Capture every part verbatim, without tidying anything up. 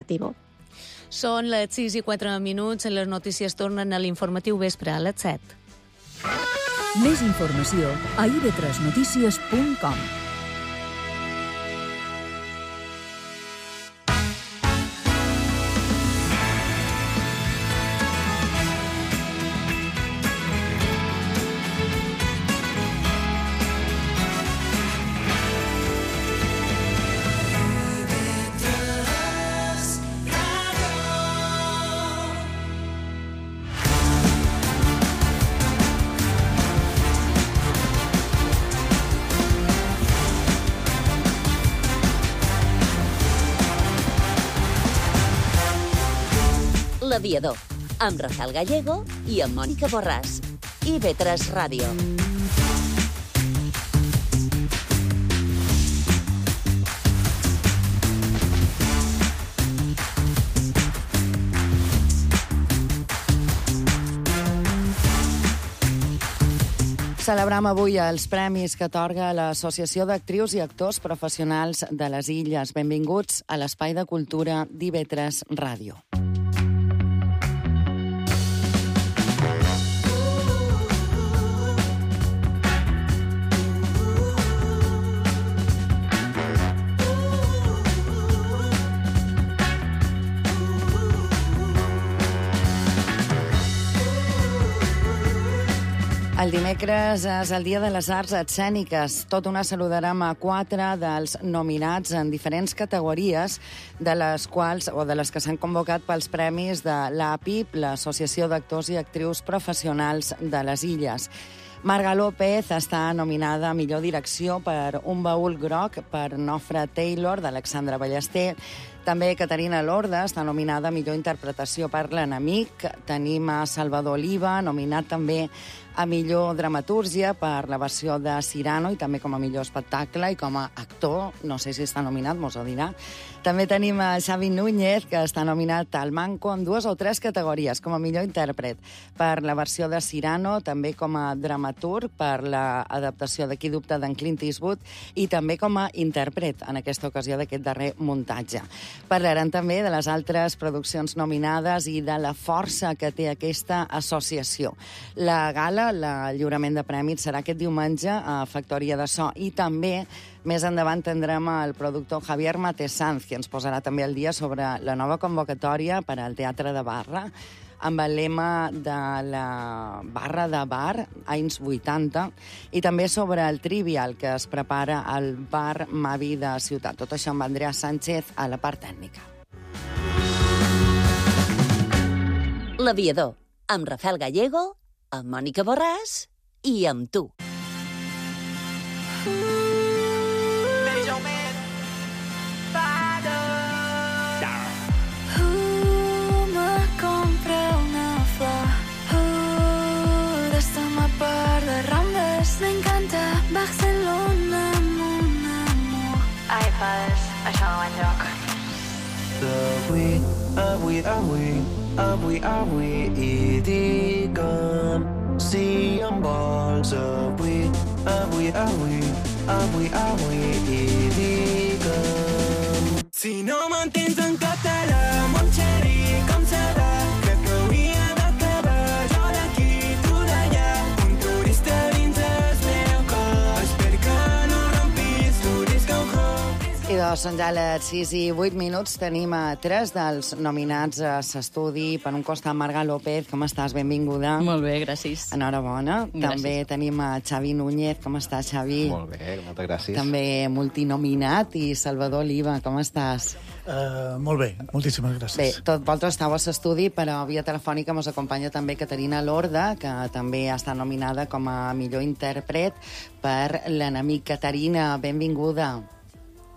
Deportivo. Són les sis i quatre minuts, les notícies tornen a l'informatiu vespre a les set. Més informació a i ve tres notícies punt com. L'Aviador, amb Rafael Gallego i amb Mònica Borràs. i ve tres Ràdio. Celebrem avui els premis que atorga l'Associació d'Actrius i Actors Professionals de les Illes. Benvinguts a l'Espai de Cultura d'I ve tres Ràdio. El dimecres és el Dia de les Arts Escèniques. Tot una saludarem a quatre dels nominats en diferents categories, de les quals, o de les que s'han convocat pels premis de l'A P I P, l'Associació d'Actors i Actrius Professionals de les Illes. Marga López està nominada a millor direcció per Un baúl groc, per Nofre Taylor, d'Alexandra Ballester. També Caterina Lorda està nominada a millor interpretació per L'enemic. Tenim a Salvador Oliva, nominat també a millor dramatúrgia per la versió de Cyrano i també com a millor espectacle i com a actor. No sé si està nominat, mos ho dirà. També tenim a Xavi Núñez, que està nominat al Manco en dues o tres categories, com a millor intèrpret per la versió de Cyrano, també com a dramaturg per l'adaptació de Qui dubta d'en Clint Eastwood i també com a intèrpret en aquesta ocasió d'aquest darrer muntatge. Parlarem també de les altres produccions nominades i de la força que té aquesta associació. La gala, el lliurament de prèmits, serà aquest diumenge a Factoria de So i també més endavant tindrem el productor Javier Matesanz, que ens posarà també al dia sobre la nova convocatòria per al Teatre de Barra, amb el lema de la barra de bar, anys vuitanta, i també sobre el Trivial, que es prepara al bar Mavi de Ciutat. Tot això amb Andrea Sánchez a la part tècnica. L'Aviador, amb Rafael Gallego, amb Mònica Borràs i amb tu. Me encanta Barcelona, mon amor. Ai, fades, això no va enlloc. Avui, avui, avui, avui, avui, i digue'm si em vols. Avui, avui, avui, avui, avui, i digue'm. Si no m'entens en català, mon xeri, com serà? Crec que hauria d'acabar jo d'aquí, tu d'allà, un turista dins el meu cor. Espero que no rompis l'urisc au hop. I doncs són ja les sis i vuit minuts. Tenim a tres dels nominats a l'estudi. Per un costat, Marga López, com estàs? Benvinguda. Molt bé, gràcies. Enhorabona. Gràcies. També tenim a Xavi Núñez. Com estàs, Xavi? Molt bé, moltes gràcies. També multinominat. I Salvador Oliva, com estàs? Uh, molt bé, moltíssimes gràcies. Bé, tot vosaltres estàu a l'estudi, però via telefònica ens acompanya també Caterina Lorda, que també està nominada com a millor intèrpret per L'enemic. Caterina, benvinguda.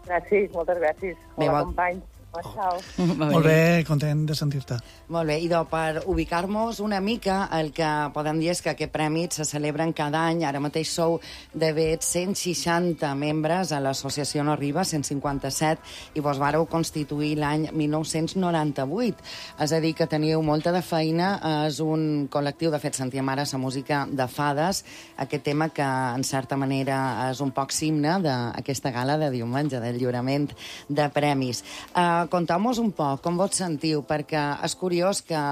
Gràcies, moltes gràcies. Bé, Hola, bon- companys. Ciao. Molt bé, content de sentir-te. Molt bé, idò, per ubicar-nos una mica, el que podem dir és que aquest premi se celebren cada any. Ara mateix sou de bet cent seixanta membres a l'associació No Arriba, cent cinquanta-set, i vos vareu constituir l'any mil nou-cents noranta-vuit. És a dir, que teniu molta de feina. És un col·lectiu, de fet, sentíem ara la música de Fades, aquest tema que, en certa manera, és un poc simne d'aquesta gala de diumenge, del lliurament de premis. Uh, Uh, Contau-nos un poc com vos sentiu, perquè és curiós que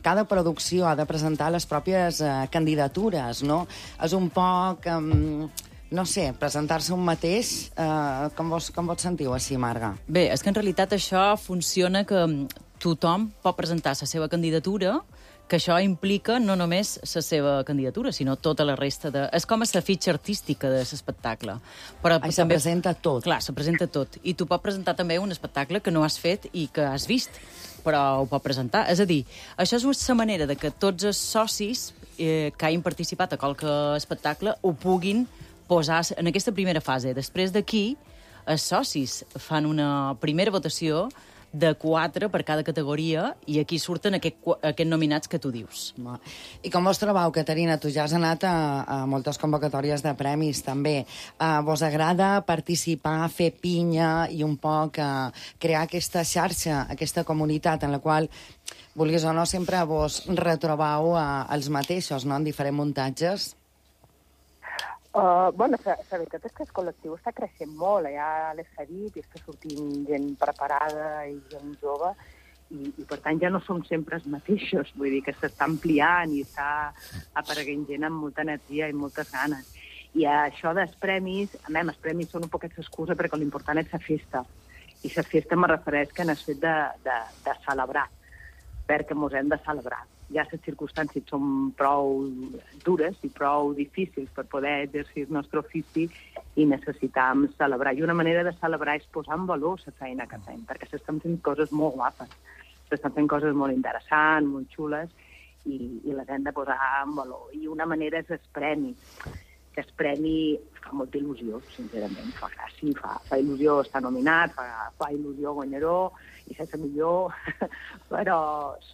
cada producció ha de presentar les pròpies uh, candidatures, no? És un poc, um, no sé, presentar-se un mateix. Uh, com, vos, com vos sentiu així, Marga? Bé, és que en realitat això funciona que tothom pot presentar la seva candidatura, que això implica no només la seva candidatura, sinó tota la resta de... És com la fitxa artística de l'espectacle. Però Ai, se presenta tot. Clar, se presenta tot. I tu pots presentar també un espectacle que no has fet i que has vist, però ho pot presentar. És a dir, això és la manera de que tots els socis eh, que hagin participat a qualque espectacle ho puguin posar en aquesta primera fase. Després d'aquí, els socis fan una primera votació de quatre per cada categoria i aquí surten aquests aquest nominats que tu dius. I com vos trobeu, Caterina? Tu ja has anat a, a moltes convocatòries de premis, també. Uh, vos agrada participar, fer pinya i un poc uh, crear aquesta xarxa, aquesta comunitat en la qual, vulguis o no, sempre vos retrobeu uh, els mateixos, no?, en diferents muntatges? Uh, bueno, la, la veritat és que el col·lectiu està creixent molt, ja l'he dit, i està sortint gent preparada i gent jove, i, i per tant ja no som sempre els mateixos, vull dir que s'està ampliant i està apareguent gent amb molta energia i moltes ganes. I això dels premis, a mi, els premis són un poquet l'excusa perquè l'important és la festa, i la festa me refereix que n'has fet de, de, de celebrar, perquè mos hem de celebrar. Ja les circumstàncies són prou dures i prou difícils per poder exercir el nostre ofici i necessitam celebrar. I una manera de celebrar és posar en valor la feina que fem, perquè s'estan fent coses molt guapes, s'estan fent coses molt interessants, molt xules, i, i les hem de posar en valor. I una manera és el premi, que el premi fa molta il·lusió, sincerament, fa gràcia, fa, fa il·lusió estar nominat, fa, fa il·lusió guanyador, i sense millor, però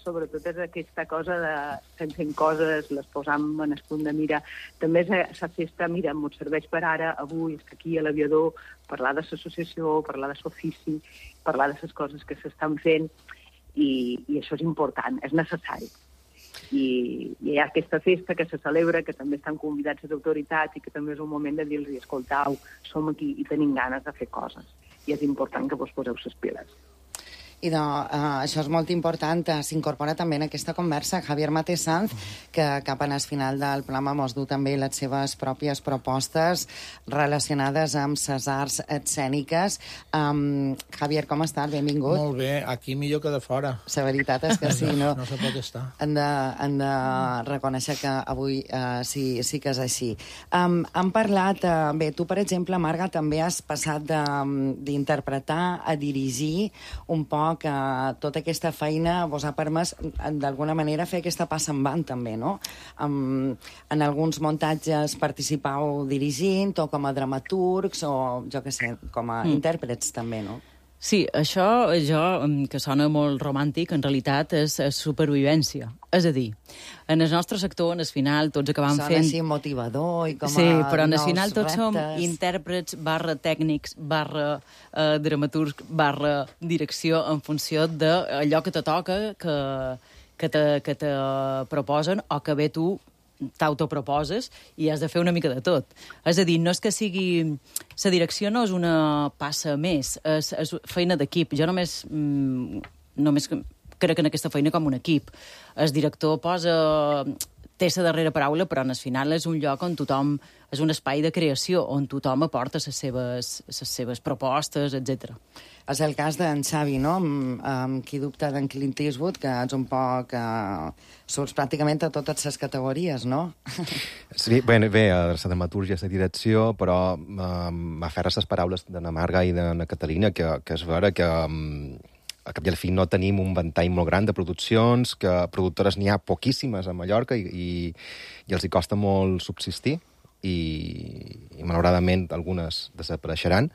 sobretot és aquesta cosa de estem fent coses, les posam en el punt de mira. També és la festa, mira, m'ho serveix per ara, avui, és aquí a l'Aviador, parlar de l'associació, parlar de l'ofici, parlar de les coses que s'estan fent, i, i això és important, és necessari. I, i hi ha aquesta festa que se celebra, que també estan convidats les autoritats i que també és un moment de dir-los, escoltau, som aquí i tenim ganes de fer coses. I és important que vos poseu les piles. I de, uh, això és molt important. S'incorpora també en aquesta conversa Javier Mate Sanz, que cap en el final del programa mos du també les seves pròpies propostes relacionades amb les arts escèniques. Um, Javier, com estàs? Benvingut. Molt bé, aquí millor que de fora. La veritat és que sí, no? No se pot estar. Hem de, hem de reconèixer que avui uh, sí, sí que és així. Um, hem parlat, uh, bé, tu, per exemple, Marga, també has passat d'interpretar a dirigir un poc que tota aquesta feina vos ha permès, d'alguna manera, fer aquesta passa en van, també, no? Um, en alguns muntatges participau dirigint, o com a dramaturgs, o, jo què sé, com a mm. intèrprets, també, no? Sí, això, jo, que sona molt romàntic, en realitat és, és supervivència. És a dir, en el nostre sector, en el final, tots acabam sona fent... Sona així motivador i com sí, a però en el nous final tots reptes. som intèrprets, barra tècnics, barra eh, dramaturg, barra direcció, en funció d'allò que te toca, que, que, te, que te proposen, o que bé tu t'autoproposes i has de fer una mica de tot. És a dir, no és que sigui... La direcció no és una passa més, és, és feina d'equip. Jo només, mm, només crec en aquesta feina com un equip. El director posa... té la darrera paraula, però en el final és un lloc on tothom... és un espai de creació, on tothom aporta les seves, les seves propostes, etcètera. És el cas d'en Xavi, no? Amb, amb qui dubta d'en Clint Eastwood, que ets un poc... Uh, surts pràcticament a totes les categories, no? Sí, bé, bé la dramatúrgia, la direcció, però uh, m'aferra les paraules de na Marga i de na Caterina, que, que és vera que... Um, a cap i al fi no tenim un ventall molt gran de produccions, que productores n'hi ha poquíssimes a Mallorca i, i, i els hi costa molt subsistir i, i malauradament algunes desapareixeran,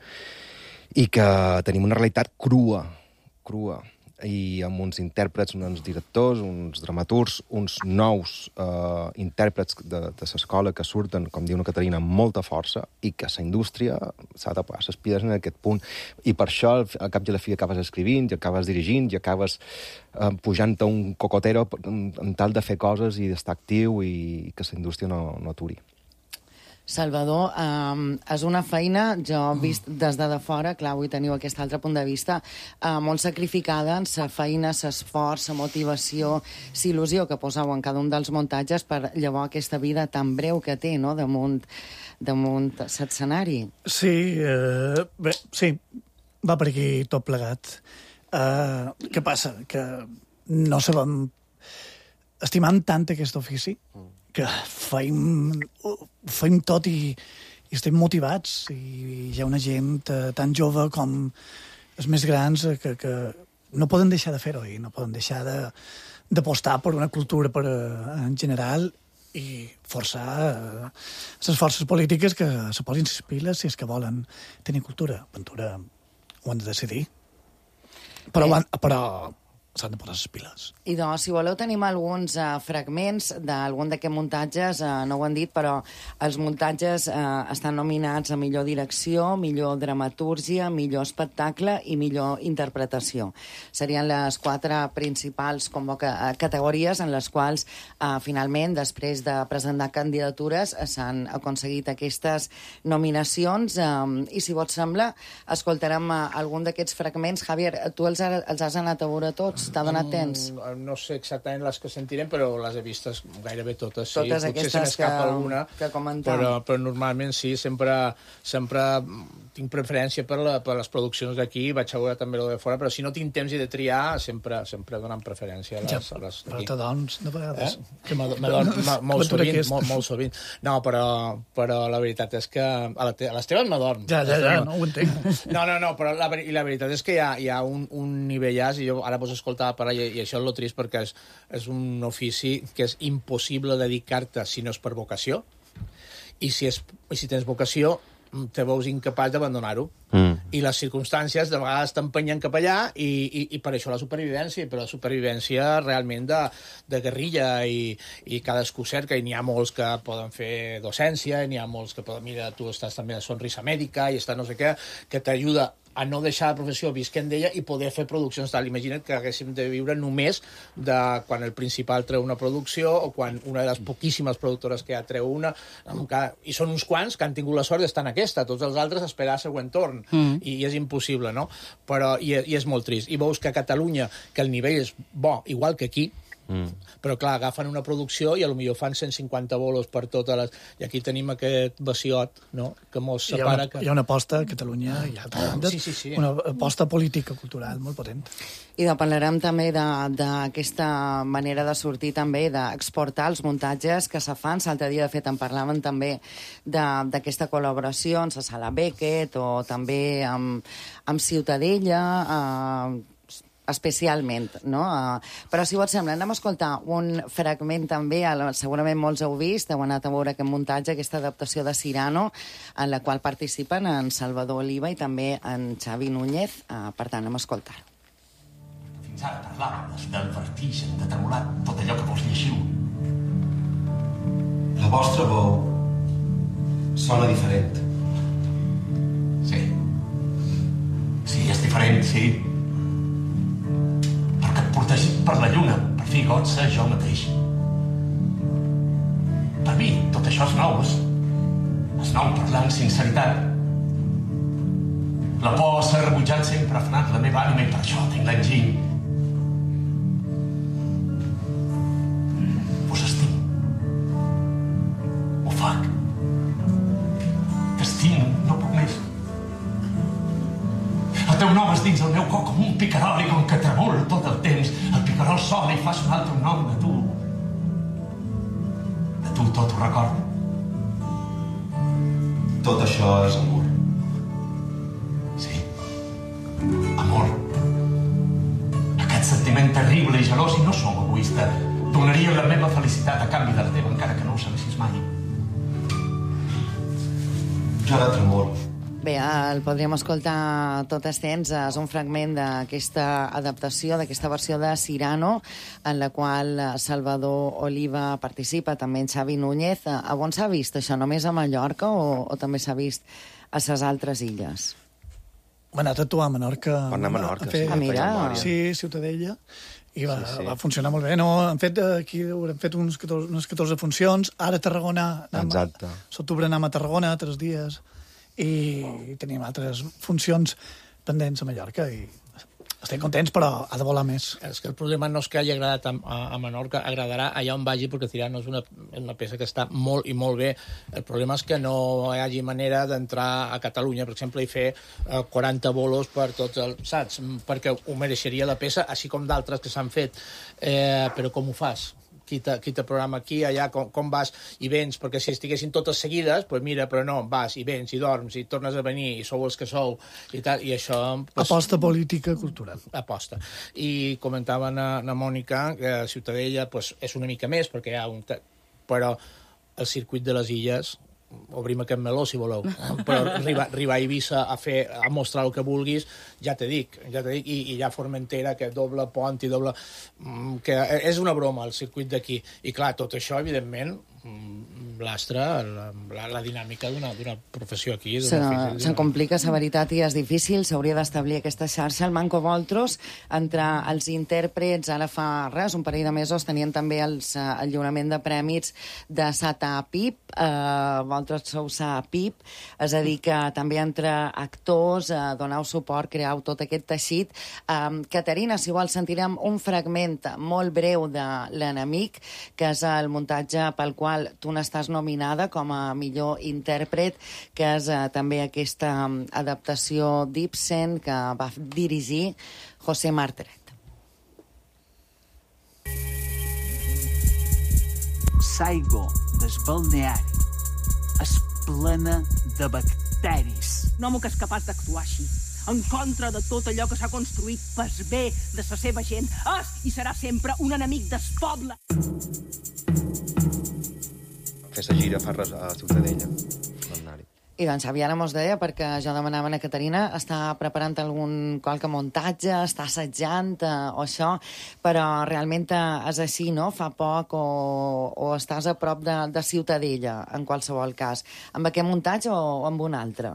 i que tenim una realitat crua, crua, i amb uns intèrprets, uns directors, uns dramaturgs, uns nous eh, intèrprets de, de l'escola que surten, com diu una Caterina, amb molta força, i que la indústria s'ha de posar les piles en aquest punt. I per això, al cap i a la fi, acabes escrivint, i acabes dirigint, i acabes eh, pujant a un cocotero en, en tal de fer coses i d'estar actiu i, i que la indústria no, no aturi. Salvador, eh, és una feina, jo he vist des de, de fora, clar, avui teniu aquest altre punt de vista, eh, molt sacrificada en sa feina, s'esforç, sa motivació, sa il·lusió que poseu en cada un dels muntatges per llavors aquesta vida tan breu que té, no?, damunt, damunt l'escenari. Sí, eh, bé, sí, va per aquí tot plegat. Eh, què passa? Que no sabem... Estimam tant aquest ofici que feim, feim tot i, i estem motivats. I hi ha una gent eh, tan jove com els més grans eh, que, que no poden deixar de fer-ho i no poden deixar de, d'apostar per una cultura per, eh, en general i forçar eh, les forces polítiques que se posin les piles si és que volen tenir cultura. Ventura ho han de decidir. Però, eh. però s'han de posar les piles. I doncs, si voleu, tenim alguns uh, fragments d'algun d'aquests muntatges, uh, no ho han dit, però els muntatges uh, estan nominats a millor direcció, millor dramatúrgia, millor espectacle i millor interpretació. Serien les quatre principals convoca uh, categories en les quals, uh, finalment, després de presentar candidatures, uh, s'han aconseguit aquestes nominacions. Um, I, si vos sembla, escoltarem uh, algun d'aquests fragments. Javier, tu els, ha, els has anat a veure tots? T'ha donat temps? Mm, no sé exactament les que sentirem, però les he vistes gairebé totes, sí. Totes Potser aquestes se n'escapa que, alguna, que comentam. però, però normalment sí, sempre, sempre tinc preferència per, la, per les produccions d'aquí, vaig a veure també el de fora, però si no tinc temps i de triar, sempre, sempre donant preferència a les, ja, a les d'aquí. Però t'adons, de vegades. Eh? Que m'adon molt sovint, molt, molt sovint. No, però, però la veritat és que a, la te a les teves m'adorm. Ja, ja, ja, no ho entenc. No, no, no, però la, i la veritat és que hi ha, hi ha un, un nivellàs, i jo ara vos escoltava parlar, i, i això és lo trist perquè és, és un ofici que és impossible dedicar-te si no és per vocació, i si, és, i si tens vocació te veus incapaç d'abandonar-ho. Mm. I les circumstàncies de vegades t'empenyen cap allà i, i, i per això la supervivència, però la supervivència realment de, de guerrilla i, i cadascú cerca, i n'hi ha molts que poden fer docència, n'hi ha molts que poden... Mira, tu estàs també a Sonrisa Mèdica i està no sé què, que t'ajuda a no deixar la professió visquent d'ella i poder fer produccions tal. Imagina't que haguéssim de viure només de quan el principal treu una producció o quan una de les poquíssimes productores que ja treu una, i són uns quants que han tingut la sort d'estar en aquesta, tots els altres esperar el següent torn, mm. i, i és impossible, no? Però, i, i és molt trist. I veus que a Catalunya, que el nivell és bo, igual que aquí, Mm. però clar, agafen una producció i potser fan cent cinquanta bolos per totes les... I aquí tenim aquest vaciot, no?, que mos separa... Hi ha una, que... hi ha una aposta a Catalunya, hi ha ah, sí, sí, sí. una aposta política, cultural, molt potent. I de parlarem també d'aquesta manera de sortir també, d'exportar els muntatges que se fan. L'altre dia, de fet, en parlaven també d'aquesta col·laboració amb la Sala Beckett o també amb, amb Ciutadella, eh, especialment, no? Uh, però, si vos sembla, anem a escoltar un fragment també, segurament molts heu vist, heu anat a veure aquest muntatge, aquesta adaptació de Cyrano, en la qual participen en Salvador Oliva i també en Xavi Núñez. Uh, per tant, anem a escoltar-ho. Fins ara parlàvem del vertigen, de tremolar tot allò que vos lleixiu. La vostra veu sona diferent. Sí. Sí, és diferent, sí. Protegit per la lluna, per fi got ser jo mateix. Per mi, tot això és nou, és, és nou parlar amb sinceritat. La por s'ha rebutjat sempre ha frenat la meva ànima i per això tinc l'enginy. Vos estim. Ho fac. T'estimo, no puc més. El teu nom és dins el meu cor com un picarol i com que tremol tot el temps. El picarol sona i fa sonar el teu nom de tu. De tu tot ho recordo. Tot això és amor. Sí. Amor. Aquest sentiment terrible i gelós, i no som egoista. Donaria la meva felicitat a canvi de la teva, encara que no ho sabessis mai. Jo ara tremolo. Bé, el podríem escoltar tot estens. És un fragment d'aquesta adaptació, d'aquesta versió de Cyrano, en la qual Salvador Oliva participa, també en Xavi Núñez. A on s'ha vist això? Només a Mallorca o, o també s'ha vist a les altres illes? Va anar a actuar a Menorca. Va anar a Menorca, a fer, sí, a mira. memòria. Sí, Ciutadella. I va, Sí, sí. va funcionar molt bé. No, han fet, aquí haurem fet uns catorze, unes catorze funcions. Ara a Tarragona... anem a- Exacte. S'octubre anem a Tarragona, tres dies, i tenim altres funcions pendents a Mallorca, i estem contents, però ha de volar més. És que el problema no és que hagi agradat a, a, a Menorca, agradarà allà on vagi, perquè Cirano és una, una peça que està molt i molt bé. El problema és que no hi hagi manera d'entrar a Catalunya, per exemple, i fer eh, quaranta bolos per tots els... Saps? Perquè ho mereixeria la peça, així com d'altres que s'han fet. Eh, però com ho fas? Qui te, qui te programa aquí, allà, com, com vas i vens, perquè si estiguessin totes seguides, pues mira, però no, vas i vens i dorms i tornes a venir i sou els que sou i tal, i això... Pues, Aposta política cultural. aposta. I comentava na, na Mònica que Ciutadella pues, és una mica més, perquè hi ha un... Però el circuit de les illes, obrim aquest meló, si voleu, però arribar, arribar a Eivissa a, fer, a mostrar el que vulguis, ja te dic, ja te dic, i, i ja Formentera, que doble pont i doble... que és una broma, el circuit d'aquí. I clar, tot això, evidentment, lastra la, la, la dinàmica d'una professió aquí. Se, se'n complica, la veritat, i és difícil. S'hauria d'establir aquesta xarxa. El Manco Voltros, entre els intèrprets, ara fa res, un parell de mesos, tenien també els, el lliurament de prèmits de Sata Pip, eh, vosaltres sou Sa Pip, és a dir, que també entre actors, eh, donau suport, creau tot aquest teixit. Eh, Caterina, si vols, sentirem un fragment molt breu de L'enemic, que és el muntatge pel qual tu n'estàs nominada com a millor intèrpret, que és eh, també aquesta um, adaptació d'Ibsen que va dirigir José Marteret. L'aigua del balneari és plena de bacteris. Un home que és capaç d'actuar així, en contra de tot allò que s'ha construït pel bé de la seva gent, és i serà sempre un enemic del poble. Fer la gira fa res a Ciutadella. I doncs Xavi ara mos deia, perquè jo demanava a Caterina, està preparant algun qualque muntatge, està assajant eh, o això, però realment és així, no? Fa poc o, o estàs a prop de, de Ciutadella, en qualsevol cas. Amb aquest muntatge o amb un altre?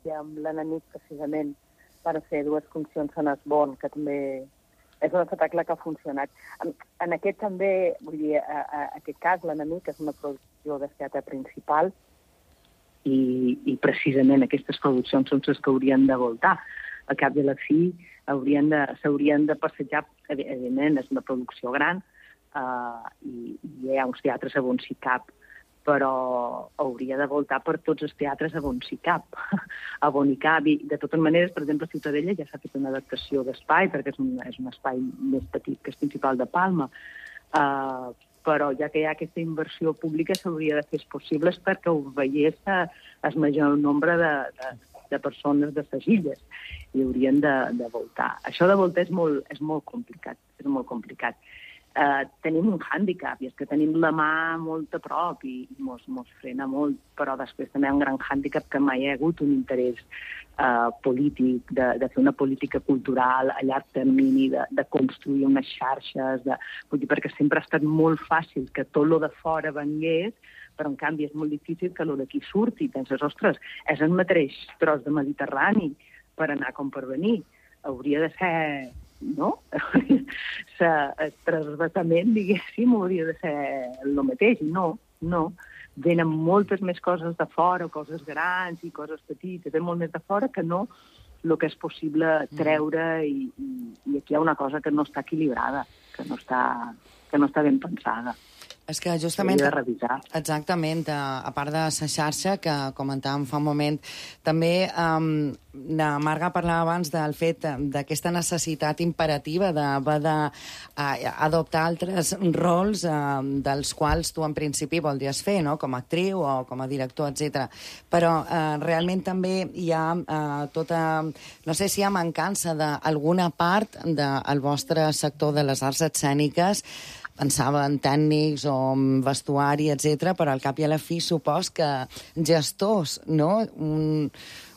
I amb l'enemic, precisament, per fer dues funcions en Esbon, que també és un espectacle que ha funcionat. En, en aquest també, vull dir, a, a, a aquest cas, l'enemic és una producció de teatre principal i, i precisament aquestes produccions són les que haurien de voltar. Al cap de la fi haurien de, s'haurien de passejar, evidentment, és una producció gran uh, i, i hi ha uns teatres a on s'hi cap, però hauria de voltar per tots els teatres a on s'hi cap, a on hi cap. I de totes maneres, per exemple, a Ciutadella ja s'ha fet una adaptació d'espai, perquè és un, és un espai més petit que el principal de Palma, uh, però ja que hi ha aquesta inversió pública s'hauria de fer possibles perquè ho veiés el major nombre de, de, de persones de les illes i haurien de, de voltar. Això de voltar és molt, és molt complicat, és molt complicat. Uh, tenim un hàndicap, i és que tenim la mà molt a prop i mos, mos frena molt, però després també hi ha un gran hàndicap que mai hi ha hagut un interès uh, polític, de, de fer una política cultural a llarg termini, de, de construir unes xarxes, de, vull dir, perquè sempre ha estat molt fàcil que tot lo de fora vengués, però en canvi és molt difícil que lo d'aquí surti. Penses, ostres, és el mateix tros de Mediterrani per anar com per venir. Hauria de ser... no? El transvasament, diguéssim, hauria de ser el mateix. No, no. Venen moltes més coses de fora, coses grans i coses petites, venen molt més de fora que no el que és possible treure i, i, i aquí hi ha una cosa que no està equilibrada, que no està, que no està ben pensada. És que justament... de revisar. Exactament, a part de la xarxa, que comentàvem fa un moment, també um, la Marga parlava abans del fet d'aquesta necessitat imperativa d'haver d'adoptar altres rols uh, dels quals tu en principi voldries fer, no? Com a actriu o com a director, etcètera. Però uh, realment també hi ha uh, tota... No sé si hi ha mancança d'alguna part del vostre sector de les arts escèniques, pensava en tècnics o en vestuari, etcètera, però al cap i a la fi supos que gestors, no? Un,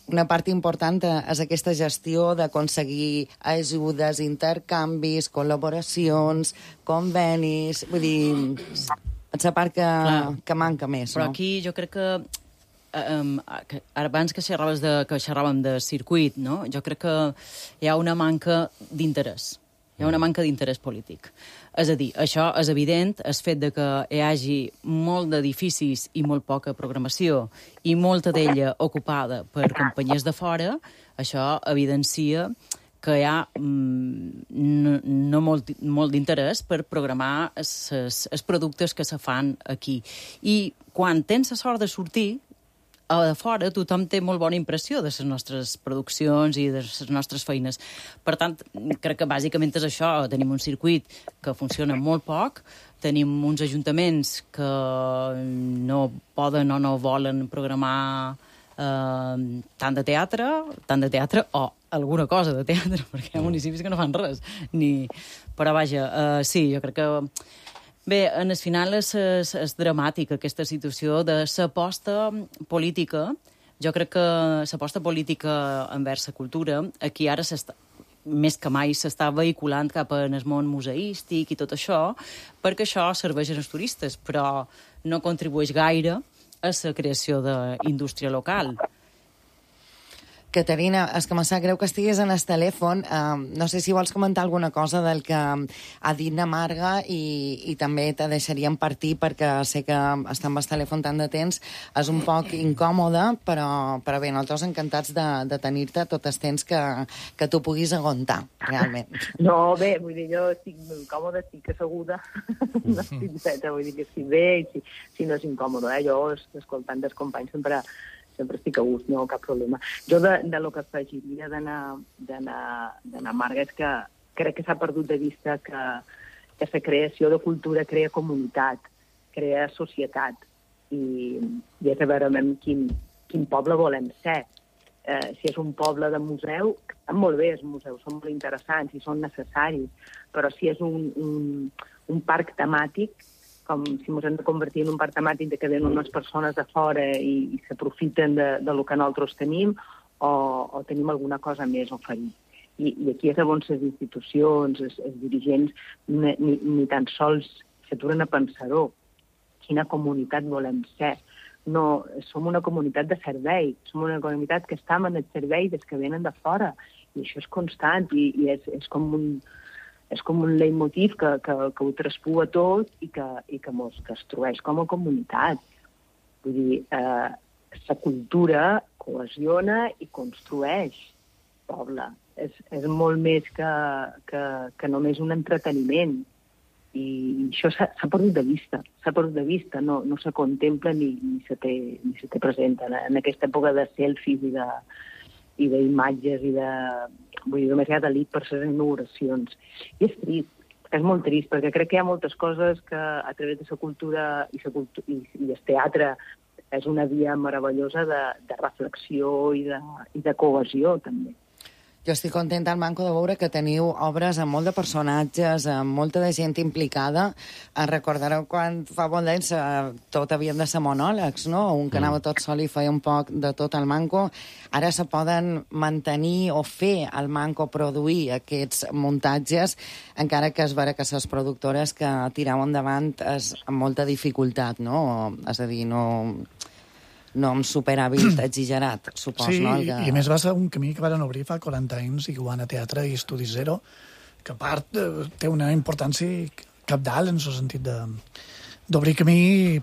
una part important és aquesta gestió d'aconseguir ajudes, intercanvis, col·laboracions, convenis... Vull dir, és la part que, que manca més, però no? aquí jo crec que um, que abans que xerraves de, que xerràvem de circuit, no? Jo crec que hi ha una manca d'interès. Hi ha una manca d'interès polític. És a dir, això és evident, el fet de que hi hagi molt d'edificis i molt poca programació i molta d'ella ocupada per companyies de fora, això evidencia que hi ha mm, no, no molt, molt d'interès per programar els productes que se fan aquí. I quan tens la sort de sortir, a de fora tothom té molt bona impressió de les nostres produccions i de les nostres feines. Per tant, crec que bàsicament és això. Tenim un circuit que funciona molt poc, tenim uns ajuntaments que no poden o no volen programar eh, tant de teatre, tant de teatre o alguna cosa de teatre, perquè hi ha municipis que no fan res. Ni... Però vaja, eh, sí, jo crec que... Bé, en el final és, és, és dramàtica aquesta situació de l'aposta política. Jo crec que l'aposta política envers la cultura, aquí ara s'està, més que mai s'està vehiculant cap en el món museístic i tot això, perquè això serveix als turistes, però no contribueix gaire a la creació d'indústria local. Caterina, és que me sap greu que estiguis en el telèfon. Uh, no sé si vols comentar alguna cosa del que ha dit na Marga i, i també te deixaríem partir perquè sé que estar amb el telèfon tant de temps és un poc incòmode, però, però bé, nosaltres encantats de, de tenir-te tot el temps que, que tu puguis aguantar, realment. No, bé, vull dir, jo estic incòmode, estic asseguda, no estic feta, vull dir que estic bé, i si, si no és incòmode, eh? Jo, escoltant dels companys, sempre... sempre estic a gust, no cap problema. Jo de, de lo que afegiria d'anar Marga és que crec que s'ha perdut de vista que, que la creació de cultura crea comunitat, crea societat, i, i és a veure quin, quin poble volem ser. Eh, si és un poble de museu, estan molt bé els museus, són molt interessants i són necessaris, però si és un, un, un parc temàtic, com si ens hem de convertir en un parc temàtic de que venen unes persones de fora i, i s'aprofiten de, de lo que nosaltres tenim, o, o tenim alguna cosa més a oferir. I, i aquí és on les institucions, els, els dirigents, ni, ni, ni tan sols s'aturen a pensar-ho. Quina comunitat volem ser? No, som una comunitat de servei, som una comunitat que estem en el servei des que venen de fora, i això és constant, i, i és, és com un... és com un leitmotiv que, que, que ho traspua tot i que, i que mos construeix com a comunitat. Vull dir, eh, la cultura cohesiona i construeix poble. És, és molt més que, que, que només un entreteniment. I això s'ha perdut de vista. S'ha perdut de vista, no, no se contempla ni, ni, se té, ni se té present en, en aquesta època de selfies i de i d'imatges i de... Vull dir, només hi ha d'elit per les inauguracions. I és trist, és molt trist, perquè crec que hi ha moltes coses que a través de la cultura i, la cultu i, i el teatre és una via meravellosa de, de reflexió i de, i de cohesió, també. Jo estic contenta al Manco de veure que teniu obres amb molt de personatges, amb molta de gent implicada. Recordareu quan fa bon temps tot havien de ser monòlegs, no? Un que anava tot sol i feia un poc de tot al Manco. Ara se poden mantenir o fer al Manco produir aquests muntatges, encara que es veure que les productores que tireu endavant és amb molta dificultat, no? És a dir, no... no amb superàvit exagerat, supos, sí, no? Sí, que... i a més va ser un camí que van obrir fa quaranta anys, igual a Teatre i Estudi Zero, que a part té una importància cabdal en el sentit d'obrir camí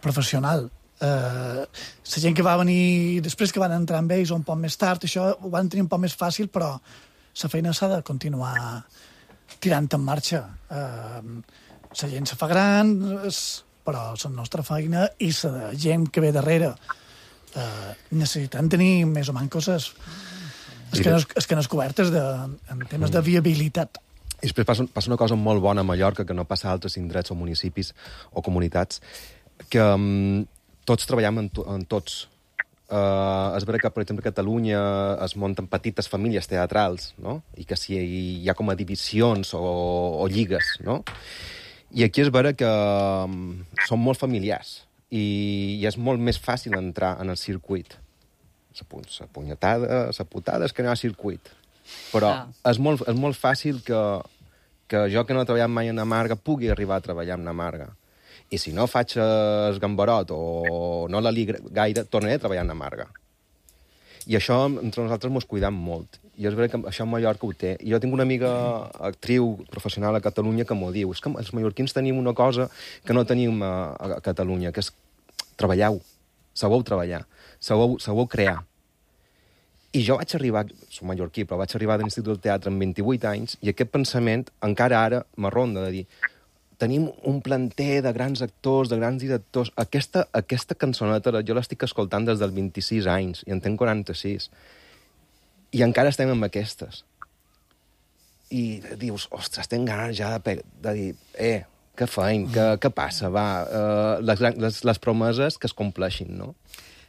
professional. Eh, la gent que va venir després, que van entrar amb ells un poc més tard, això ho van tenir un poc més fàcil, però la feina s'ha de continuar tirant en marxa. Eh, la gent se fa gran, però la nostra feina i la gent que ve darrere Uh, necessitem tenir més o menys coses escanes, escanes cobertes de, en temes de viabilitat. I després passa, passa una cosa molt bona a Mallorca que no passa a altres indrets o municipis o comunitats, que um, tots treballem en, to, en tots. Uh, és vera que, per exemple, a Catalunya es munten petites famílies teatrals, no? I que si hi ha com a divisions o, o lligues, no? I aquí és vera que um, són molt familiars. I, i és molt més fàcil entrar en el circuit. La punyetada, la putada és que no hi ha circuit. Però ah. és, molt, és molt fàcil que, que jo, que no he treballat mai en Amarga, pugui arribar a treballar en Amarga. I si no faig el gambarot o no la li gaire, tornaré a treballar en Amarga. I això entre nosaltres mos cuidam molt. I és veritat que això a Mallorca ho té. I jo tinc una amiga actriu professional a Catalunya que m'ho diu. És que els mallorquins tenim una cosa que no tenim a, a Catalunya, que és treballeu, sabeu treballar, sabeu, sabeu crear. I jo vaig arribar, soc mallorquí, però vaig arribar de l'Institut del Teatre amb vint-i-vuit anys i aquest pensament encara ara m'arronda de dir tenim un planter de grans actors, de grans directors. Aquesta, aquesta cançoneta jo l'estic escoltant des dels vint-i-sis anys i en tenc quaranta-sis. I encara estem amb aquestes. I dius, ostres, tenc ganes ja de, de dir, eh, què feim, què, què passa, va, uh, les, les, les promeses que es compleixin, no?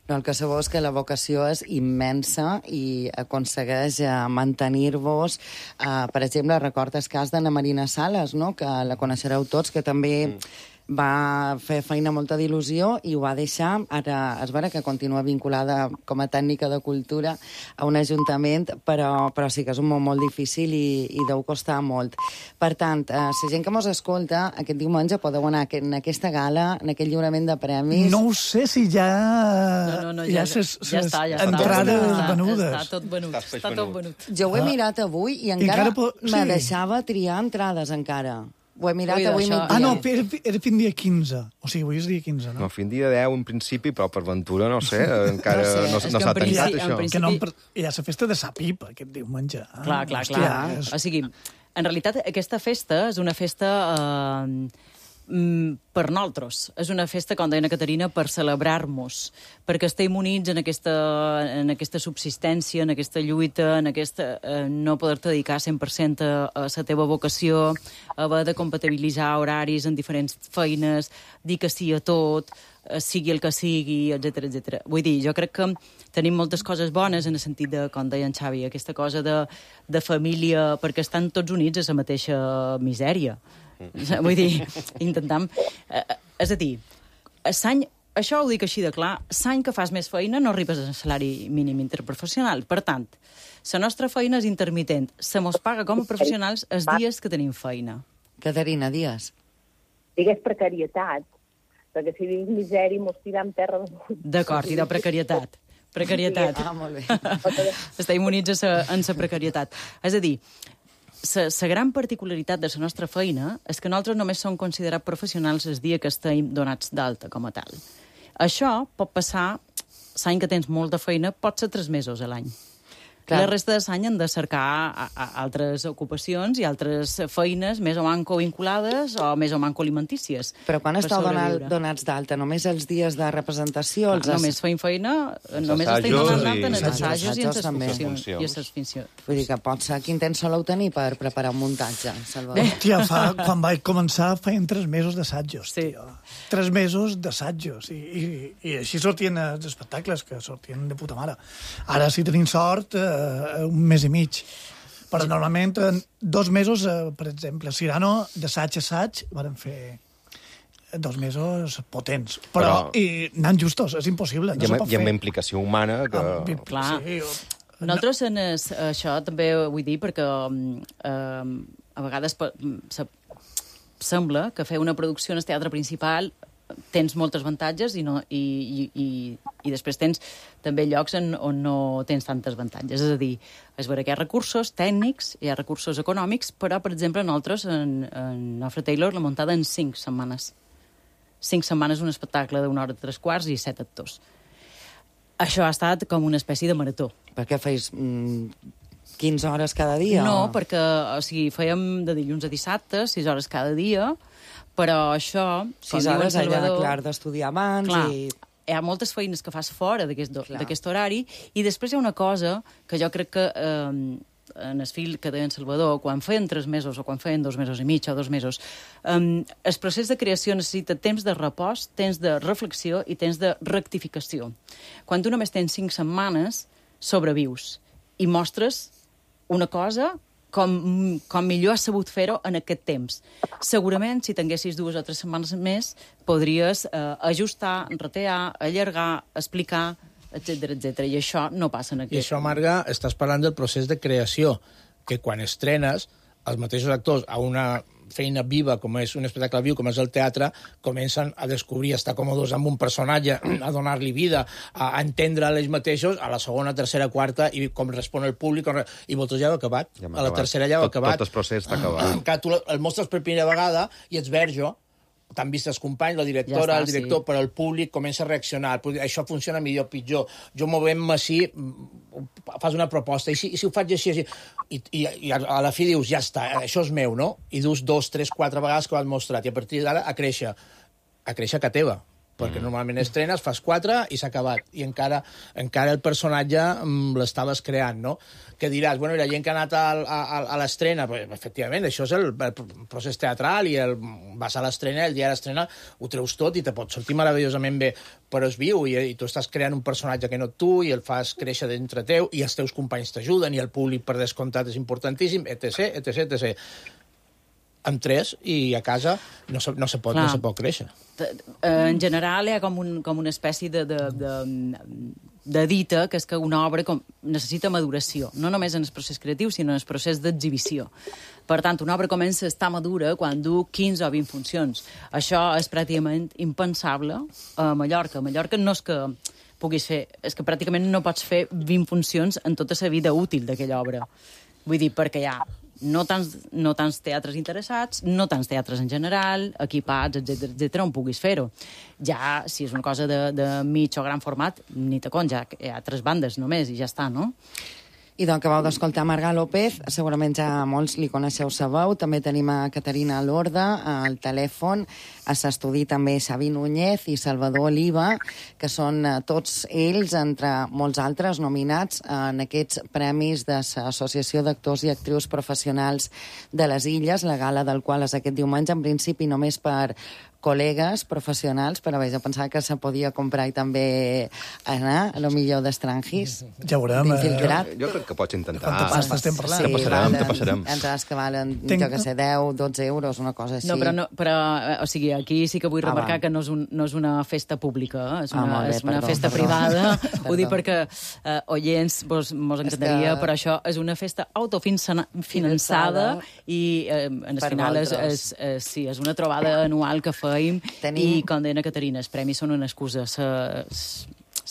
No, el que sabeu és que la vocació és immensa i aconsegueix eh, mantenir-vos. Eh, per exemple, recordes el cas d'Anna Marina Sales, no? Que la coneixereu tots, que també mm. va fer feina molta d'il·lusió i ho va deixar. Ara és vera que continua vinculada com a tècnica de cultura a un ajuntament, però, però sí que és un món molt difícil i, i deu costar molt. Per tant, eh, la gent que mos escolta, aquest diumenge podeu anar en aquesta gala, en aquest lliurament de premis. No ho sé si ja... No, no, no, ja, ja, ses, ja està, ja està. entrades està, venudes. Està tot venut, està tot venut. Jo ho he mirat avui i encara, encara po... me sí. deixava triar entrades encara. Ho he mirat Ui, avui això... migdia. Ah, no, era, era fin dia quinze. O sigui, avui és dia quinze, no? No, fin dia deu, en principi, però per ventura, no sé, encara No sé, no, és no que s'ha en principi- tancat, en això. principi- Que no, per... Hi ha la festa de sa pipa, aquest diumenge. Ah, Clar, clar, hòstia, clar. és- O sigui, en realitat, aquesta festa és una festa eh, mm, per nosaltres. És una festa, com deia la Caterina, per celebrar-nos, perquè estem units en aquesta, en aquesta subsistència, en aquesta lluita, en aquesta eh, no poder-te dedicar cent per cent a, a la teva vocació, haver de compatibilitzar horaris en diferents feines, dir que sí a tot, eh, sigui el que sigui, etcètera, etcètera. Vull dir, jo crec que tenim moltes coses bones en el sentit de, com deia en Xavi, aquesta cosa de, de família, perquè estan tots units a la mateixa misèria. Vull dir, intentam... Eh, és a dir, l'any, això ho dic així de clar, l'any que fas més feina no arribes al salari mínim interprofessional. Per tant, la nostra feina és intermitent. Se mos paga com a professionals els dies que tenim feina. Caterina, dies. Digues precarietat, perquè si diguis misèria mos tirem terra de munt. D'acord, i de precarietat. Precarietat. Ah, molt bé. Estem units a sa, en la precarietat. És a dir, la gran particularitat de la nostra feina és que nosaltres només som considerats professionals el dia que estem donats d'alta com a tal. Això pot passar, l'any que tens molta feina, pot ser tres mesos a l'any. Clar. La resta de l'any han de cercar a, a altres ocupacions i altres feines més o manco vinculades o més o manco alimentícies. Però quan per esteu donat, sobreviure. donats d'alta? Només els dies de representació? Clar, Els només feim feina, només estem assajos donant i- d'alta en els Els assajos i en assajos les també. funcions. I en les funcions. Vull dir que pot ser quin temps soleu tenir per preparar un muntatge, Salvador. Hòstia, fa, quan vaig començar feien tres mesos d'assajos, Sí. tio. Tres mesos d'assajos. I, i, I així sortien els espectacles, que sortien de puta mare. Ara, si tenim sort, eh, un mes i mig. Però normalment, en dos mesos, eh, per exemple, Cyrano, d'assaig a assaig, van fer dos mesos potents. Però, Però- i anant justos, és impossible, no I se amb, pot i amb fer. implicació humana que... Amb- Clar. Sí, o- Nosaltres, en es, això també vull dir, perquè eh, a vegades pe- se, sembla que fer una producció en el teatre principal tens moltes avantatges i, no, i, i, i, i després tens també llocs en, on no tens tantes avantatges. És a dir, és vera que hi ha recursos tècnics, hi ha recursos econòmics, però, per exemple, nosaltres, en, en Alfred Taylor, la muntada en cinc setmanes. Cinc setmanes un espectacle d'una hora i tres quarts i set actors. Això ha estat com una espècie de marató. Per què feis mm, quinze hores cada dia? No, o... perquè o sigui, fèiem de dilluns a dissabte, sis hores cada dia, però això... com Sis diu en hores allà, Salvador, clar, d'estudiar abans clar, i... hi ha moltes feines que fas fora d'aquest do- Clar. d'aquest horari, i després hi ha una cosa que jo crec que eh, en el fil que deia en Salvador, quan feien tres mesos o quan feien dos mesos i mig o dos mesos, eh, el procés de creació necessita temps de repòs, temps de reflexió i temps de rectificació. Quan tu només tens cinc setmanes, sobrevius i mostres una cosa com, com millor has sabut fer-ho en aquest temps. Segurament, si tinguessis dues o tres setmanes més, podries eh, ajustar, retear, allargar, explicar, etcètera, etcètera. I això no passa en I aquest... això, Marga, estàs parlant del procés de creació, que quan estrenes, els mateixos actors a una feina viva, com és un espectacle viu, com és el teatre, comencen a descobrir, a estar còmodes amb un personatge, a donar-li vida, a entendre ells mateixos, a la segona, tercera, quarta, i com respon el públic, i vosaltres ja heu acabat. Ja a la tercera ja heu tot, acabat. Tot el procés està acabat. Clar, tu el mostres per primera vegada i ets verge, t'han vist els companys, la directora, ja està, el director, sí. Però el públic comença a reaccionar. Això funciona millor o pitjor. Jo movem-me així, fas una proposta, i si, i si ho faig així, així, i, i, i a la fi dius, ja està, això és meu, no? I dus dos, tres, quatre vegades que ho has mostrat, i a partir d'ara a créixer, a créixer que teva. Perquè mm. normalment estrenes, fas quatre i s'ha acabat. I encara, encara el personatge mm, l'estaves creant, no? Que diràs, bueno, i la gent que ha anat a, a, a l'estrena, pues, efectivament, això és el, el procés teatral, i el, vas a l'estrena, el dia de l'estrena ho treus tot i te pot sortir meravellosament bé, però és viu, i, i tu estàs creant un personatge que no tu, i el fas créixer dintre teu, i els teus companys t'ajuden, i el públic, per descomptat, és importantíssim, etc, etc, etcètera. Amb tres, i a casa no se, no se, pot, no se pot créixer. En general hi ha com, un, com una espècie de, de, de, de dita, que és que una obra com, necessita maduració, no només en el procés creatiu, sinó en el procés d'exhibició. Per tant, una obra comença a estar madura quan du quinze o vint funcions. Això és pràcticament impensable a Mallorca. A Mallorca no és que puguis fer, és que pràcticament no pots fer vint funcions en tota la vida útil d'aquella obra. Vull dir, perquè hi ha no tants, no tants teatres interessats, no tants teatres en general, equipats, etcètera, etcètera, on puguis fer-ho. Ja, si és una cosa de, de mig o gran format, ni te compte, ja hi ha tres bandes només i ja està, no? I doncs acabeu d'escoltar Marga López, segurament ja molts li coneixeu sa veu, també tenim a Caterina Lorda al telèfon, a l'estudi també Xavi Núñez i Salvador Oliva, que són tots ells, entre molts altres, nominats en aquests premis de l'Associació d'Actors i Actrius Professionals de les Illes, la gala del qual és aquest diumenge, en principi només per col·legues professionals, però bé, jo pensava que se podia comprar i també anar, a lo millor d'estrangis. Ja veurem. D'infiltrat. Jo crec que pots intentar. Quanta pasta estem parlant? Te passarem, te passarem. Entrades que valen, jo que sé, deu, dotze euros, una cosa així. No, però, no, però o sigui, aquí sí que vull Ah, remarcar va. que no és, un, no és una festa pública, eh? És Ah, una, molt bé, és una perdó, festa perdó. privada. Perdó. Ho dic perquè eh, oients vos, mos encantaria, que- però això és una festa autofinançada i eh, en el Per final és, vosaltres. és, és, sí, és una trobada anual que feim. Tenim- I, com deia Caterina, els premis són una excusa.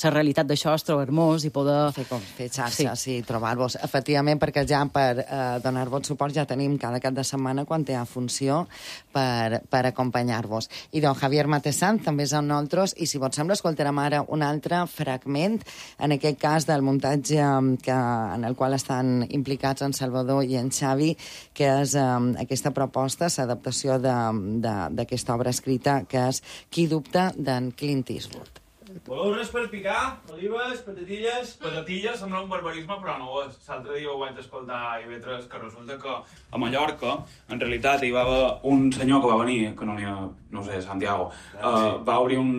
La realitat d'això és trobar hermós i poder... Fer, com, fer xarxa, sí, sí trobar-vos. Efectivament, perquè ja per eh, donar-vos suport ja tenim cada cap de setmana quan hi ha funció per, per acompanyar-vos. I doncs Javier Matesant també és amb nosaltres i si vos sembla escoltarem ara un altre fragment, en aquest cas del muntatge que, en el qual estan implicats en Salvador i en Xavi, que és eh, aquesta proposta, l'adaptació d'aquesta obra escrita que és Qui dubta, d'en Clint Eastwood. Voleu res per picar? Olives, patatilles? Patatilles sembla un barbarisme, però no ho és. L'altre dia ho vaig escoltar a I V tres, que resulta que a Mallorca, en realitat, hi va haver un senyor que va venir, que no n'hi ha, no sé, Santiago, uh, va obrir un,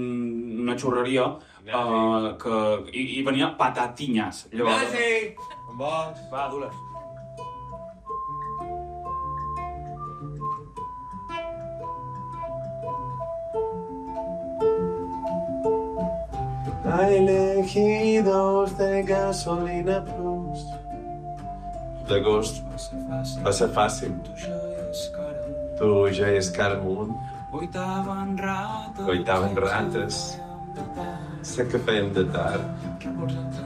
una xurreria uh, que, i, i venia patatinyes. Llavors... Ignasi! On vols? Va, du-les. Hay elegidos de gasolina plus. D'agost va ser fàcil. Tu ja és cara amunt. Oitaven rates. Oitaven rates. Sé que fèiem de tard,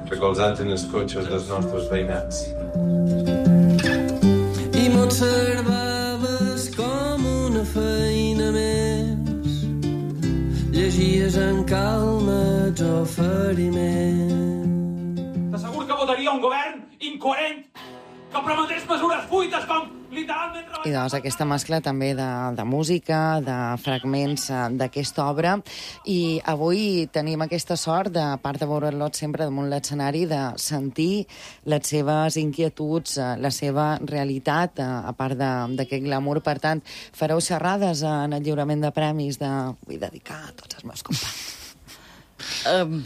recolzats en els cotxes dels nostres veïnats. I m'observaves com una feina més. Llegies en calma els oferiments. T'asseguro que votaria un govern incoherent que prometés mesures buides com literalment... I doncs aquesta mescla també de, de música, de fragments eh, d'aquesta obra, i avui tenim aquesta sort, de a part de veure-lo sempre damunt l'escenari, de sentir les seves inquietuds, eh, la seva realitat, eh, a part de- d'aquest glamour. Per tant, fareu xerrades en el lliurament de premis de... Vull dedicar a tots els meus companys. Um,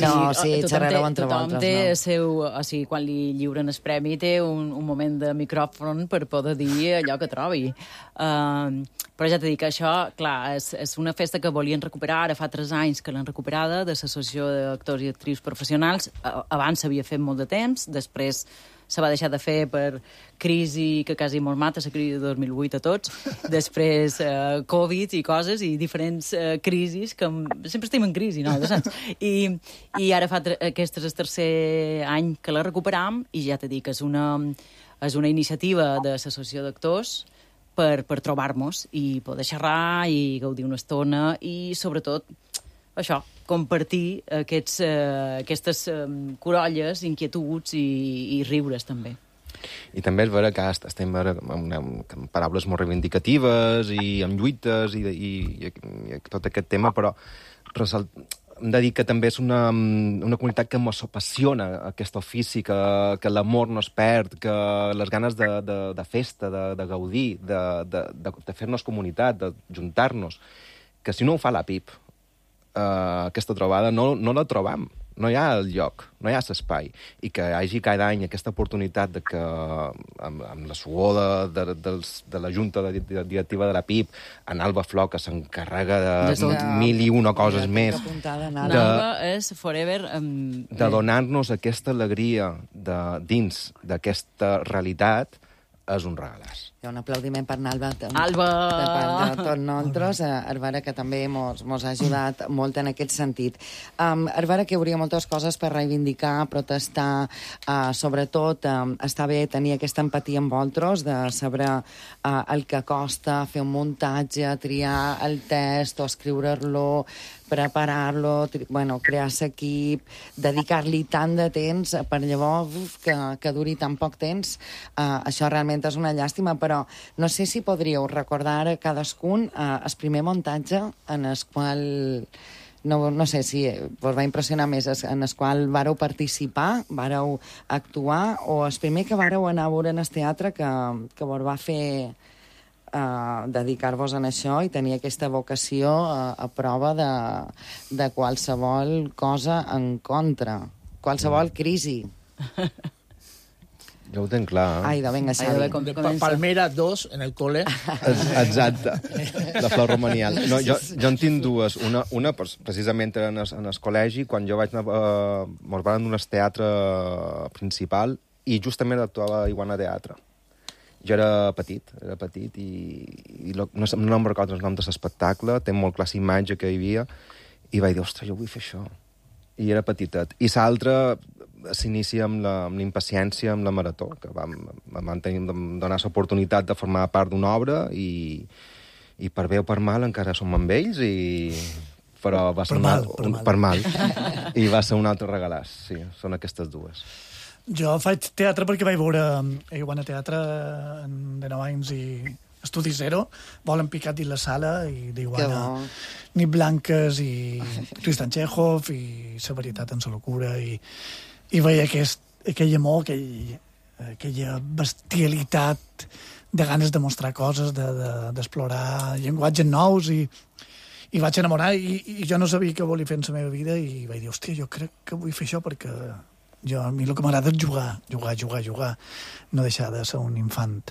No, sí, tothom xerrareu té- entre tothom vosaltres, té no? el seu, o sigui, quan li lliuren el premi té un, un moment de micròfon per poder dir allò que trobi. Uh, però ja t'he dit que això, clar, és, és una festa que volien recuperar, ara fa tres anys que l'han recuperada, de l'Associació d'Actors i Actrius Professionals. Uh, abans s'havia fet molt de temps, després se va deixar de fer per crisi que quasi mos mata, la crisi de dos mil vuit a tots, després eh, Covid i coses, i diferents eh, crisis, que sempre estem en crisi, no? I, i ara fa aquest és el tercer any que la recuperam, i ja t'he dit que és una, és una iniciativa de l'associació d'actors per, per trobar-nos i poder xerrar i gaudir una estona i, sobretot, això, compartir aquests, eh, aquestes eh, corolles, inquietuds i, i riures, també. I també és vera que estem vera, amb, amb, amb paraules molt reivindicatives i amb lluites i, i, i, i tot aquest tema, però resalt, hem de dir que també és una, una comunitat que ens apassiona aquest ofici, que, que l'amor no es perd, que les ganes de, de, de festa, de, de gaudir, de, de, de, de fer-nos comunitat, de juntar-nos, que si no ho fa la P I P, eh, aquesta trobada, no, no la trobam. No hi ha el lloc, no hi ha l'espai. I que hi hagi cada any aquesta oportunitat de que, amb, amb la suor de, de, de, de la Junta de, de, Directiva de la P I P, en Alba Flor, que s'encarrega de, de mil i una coses més, Alba és forever... Um, de donar-nos aquesta alegria de, dins d'aquesta realitat, és un regalàs. Hi ha un aplaudiment per Alba. Alba! Per part de tots nosaltres. Arvara, que també mos, mos ha ajudat molt en aquest sentit. Um, Arvara, que hi hauria moltes coses per reivindicar, protestar, uh, sobretot um, està bé tenir aquesta empatia amb vosaltres, de saber uh, el que costa fer un muntatge, triar el text o escriure-lo, preparar-lo, bueno, crear l'equip, dedicar-li tant de temps per llavors uf, que, que duri tan poc temps. Uh, això realment és una llàstima, però no sé si podríeu recordar a cadascun uh, el primer muntatge en el qual, no, no sé si vos va impressionar més, en el qual vareu participar, vareu actuar, o el primer que vareu anar a veure en el teatre que, que vos va fer Uh, dedicar-vos en això i tenir aquesta vocació uh, a prova de, de qualsevol cosa en contra, qualsevol crisi. Jo ho tenc clar. Ai, de vinga, Xavi. Palmera dos en el col·le. Exacte, la Flor Romanial. No, jo, jo en tinc dues. Una, una precisament en el, en el col·legi, quan jo vaig anar... Uh, mos van donar el teatre principal i justament actuava a Iguana Teatre. Jo era petit, era petit i, i lo, no, no em recordo el nom de l'espectacle, té molt clar imatge que hi havia, i vaig dir, ostres, jo vull fer això. I era petitet. I l'altre s'inicia amb la, amb la impaciència, amb la marató, que vam, vam tenir, donar l'oportunitat de formar part d'una obra i, i per bé o per mal encara som amb ells, i... però va ser per, una, mal, per, un, mal. per mal. I va ser un altre regalàs, sí, són aquestes dues. Jo faig teatre perquè vaig veure a Iguana Teatre de nou anys i Estudi Zero, Volen picat i la sala, i d'Iguana Nit Blanques i Tristan Chekhov i La veritat en sa locura, i, i veia aquest, aquell amor, aquell, aquella bestialitat de ganes de mostrar coses, d'explorar de, de, llenguatges nous, i, i vaig enamorar, i, i jo no sabia què volia fer en la meva vida, i vaig dir, hòstia, jo crec que vull fer això perquè jo, a mi el que m'agrada és jugar, jugar, jugar, jugar, no deixar de ser un infant.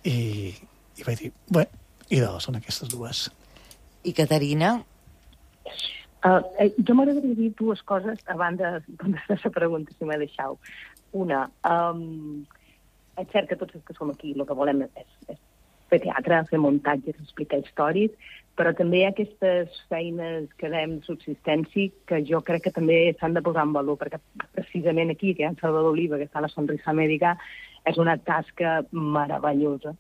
I, i vaig dir, bé, i doncs són aquestes dues. I Caterina? Uh, eh, jo m'agradaria dir dues coses abans de contestar la pregunta, si m'he deixat. Una, um, és cert que tots els que som aquí el que volem és, és fer teatre, fer muntatges, explicar històries, però també hi ha aquestes feines que dèiem de subsistència que jo crec que també s'han de posar en valor, perquè precisament aquí, que hi ha en Salvador Oliva, que està a la Sonrisa Mèdica, és una tasca meravellosa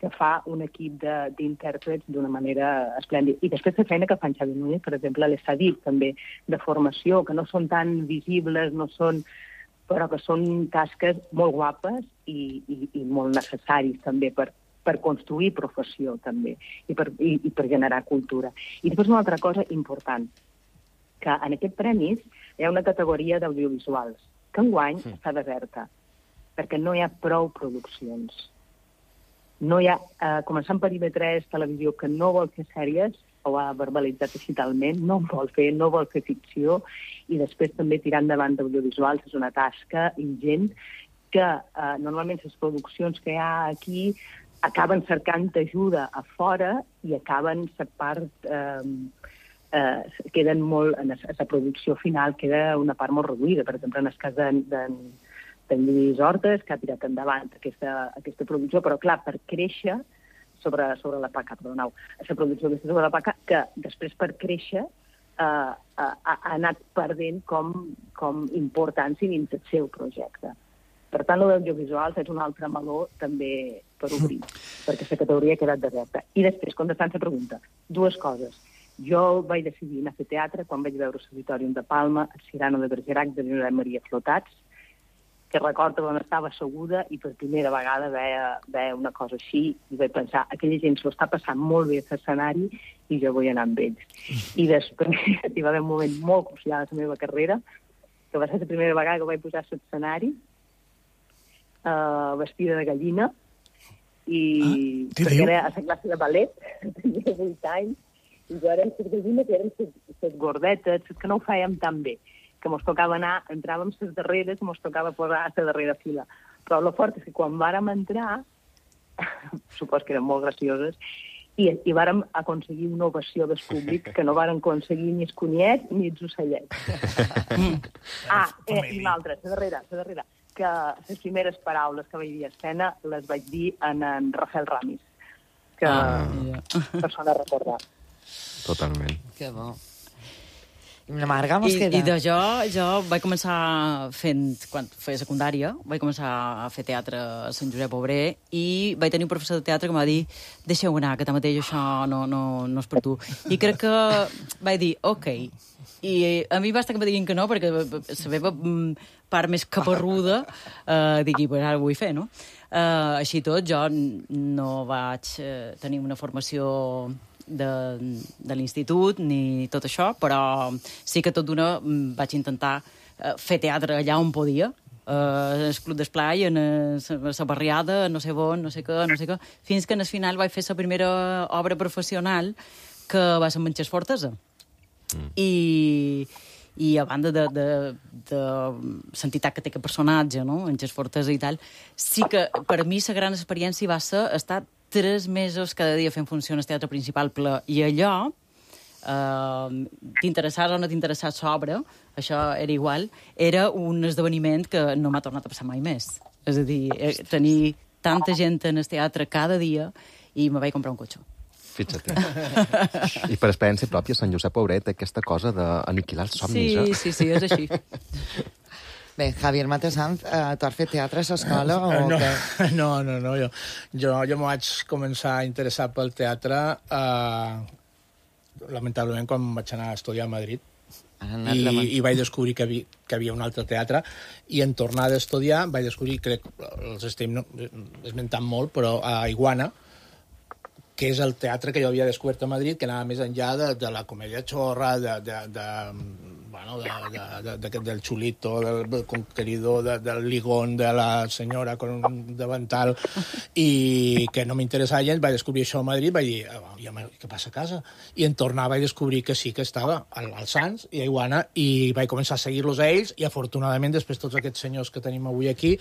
que fa un equip d'intèrprets d'una manera esplèndida. I després la feina que fan Xavi Núñez, per exemple, a l'Estadip, també, de formació, que no són tan visibles, no són, però que són tasques molt guapes i, i, i molt necessaris també per per construir professió, també, i per, i, i per generar cultura. I després una altra cosa important, que en aquest premis hi ha una categoria d'audiovisuals, que enguany sí. està deserta, perquè no hi ha prou produccions. No hi ha, eh, començant per I V tres, televisió, que no vol fer sèries, o ha verbalitzat digitalment, no vol fer, no vol fer ficció, i després també tirar endavant d'audiovisuals és una tasca ingent que eh, normalment les produccions que hi ha aquí acaben cercant ajuda a fora i acaben la part... Eh, eh, queden molt... En la producció final queda una part molt reduïda. Per exemple, en el cas de, de, en Lluís Hortes, que ha tirat endavant aquesta, aquesta producció, però clar, per créixer sobre, sobre la P A C A, perdoneu, aquesta producció aquesta sobre la P A C A, que després per créixer eh, ha, ha anat perdent com, com importància dins el seu projecte. Per tant, l'audiovisual és un altre meló també per obrir, perquè la categoria ha quedat deserta. I després, contestant la pregunta, dues coses. Jo vaig decidir anar a fer teatre quan vaig veure l'Auditorium de Palma, el Cirano de Bergerac de Josep Maria Flotats, que recordo on estava asseguda i per primera vegada veia, veia una cosa així i vaig pensar, aquella gent s'ho està passant molt bé a l'escenari i jo vull anar amb ells. I després hi va haver un moment molt crucial a la meva carrera, que va ser la primera vegada que vaig posar a l'escenari uh, vestida de gallina i ah, perquè era a la classe de ballet, tenia vuit anys, i jo érem les gallines i érem les gordetes, les que no ho fèiem tan bé, que mos tocava anar, entràvem les darreres, mos tocava posar a la darrera fila. Però el fort és que quan vàrem entrar, supos que eren molt gracioses, i, i vàrem aconseguir una ovació del públic que no vàrem aconseguir ni els coniets ni els ocellets. ah, eh, i l'altra, la darrera, la darrera, que les primeres paraules que vaig dir a escena les vaig dir en, en Rafael Ramis, que ah, yeah. persona a recordar. Totalment. Que bo. I la Marga mos I, queda. I de jo, jo vaig començar fent, quan feia secundària, vaig començar a fer teatre a Sant Josep Obrer i vaig tenir un professor de teatre que em va dir deixeu anar, que tanmateix això no, no, no és per tu. I crec que vaig dir, ok. I a mi basta que em diguin que no, perquè la meva part més caparruda eh, digui, pues ara ho vull fer, no? Eh, així tot, jo no vaig eh, tenir una formació de, de l'institut ni tot això, però sí que tot d'una vaig intentar uh, fer teatre allà on podia, uh, el Club d'Esplai, en la barriada, no sé on, no sé què, no sé què, fins que al final vaig fer la primera obra professional que va ser Manxes Fortesa. Mm. I, i a banda de, de, de l'entitat que té aquest personatge, no? Manxes Fortesa i tal, sí que per mi la gran experiència va ser estar tres mesos cada dia fent funció al teatre principal ple. I allò, eh, t'interessàs o no t'interessàs l'obra, això era igual, era un esdeveniment que no m'ha tornat a passar mai més. És a dir, eh, tenir tanta gent en el teatre cada dia i me vaig comprar un cotxe. Fixa't. I per experiència pròpia, Sant Josep Obrer té aquesta cosa d'aniquilar els somnis, sí, eh? Sí, sí, és així. Bé, Javier Matesanz, eh, tu has fet teatre a l'escola o no, què? No, no, no, jo, jo, jo m'ho vaig començar a interessar pel teatre eh, lamentablement quan vaig anar a estudiar a Madrid i, i vaig descobrir que, havia, que havia un altre teatre i en tornar a estudiar vaig descobrir, crec, els estem no, esmentant molt, però a Iguana, que és el teatre que jo havia descobert a Madrid, que anava més enllà de, de la comèdia xorra, de, de, de, bueno, de, de, de, de, del xulito, del conqueridor, de, del ligón, de la senyora con un davantal, i que no m'interessava gens. Vaig descobrir això a Madrid, vaig dir, oh, ja, què passa a casa? I en tornar vaig descobrir que sí que estava al, al Sants i a Iguana, i vaig començar a seguir-los a ells, i afortunadament després tots aquests senyors que tenim avui aquí,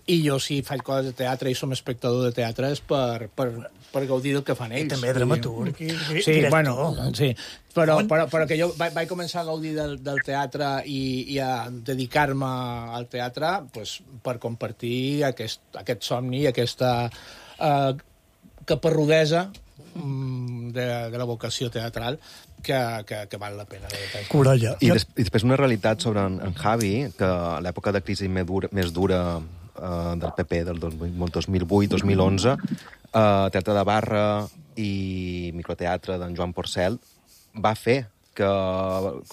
i jo si faig coses de teatre i som espectador de teatre és per, per, per gaudir del que fan ells. I també dramaturg i, i sí, director. Bueno, sí. Però, però, però que jo vaig, vaig començar a gaudir del, del teatre i, i a dedicar-me al teatre pues, per compartir aquest, aquest somni i aquesta eh, caparrudesa mm, de, de la vocació teatral que, que, que val la pena. Coralla. I, des, I després una realitat sobre en, en Javi, que a l'època de crisi més dura, més dura eh, del P P, del dos mil vuit dos mil onze, eh, teatre de barra i microteatre d'en Joan Porcel, va fer que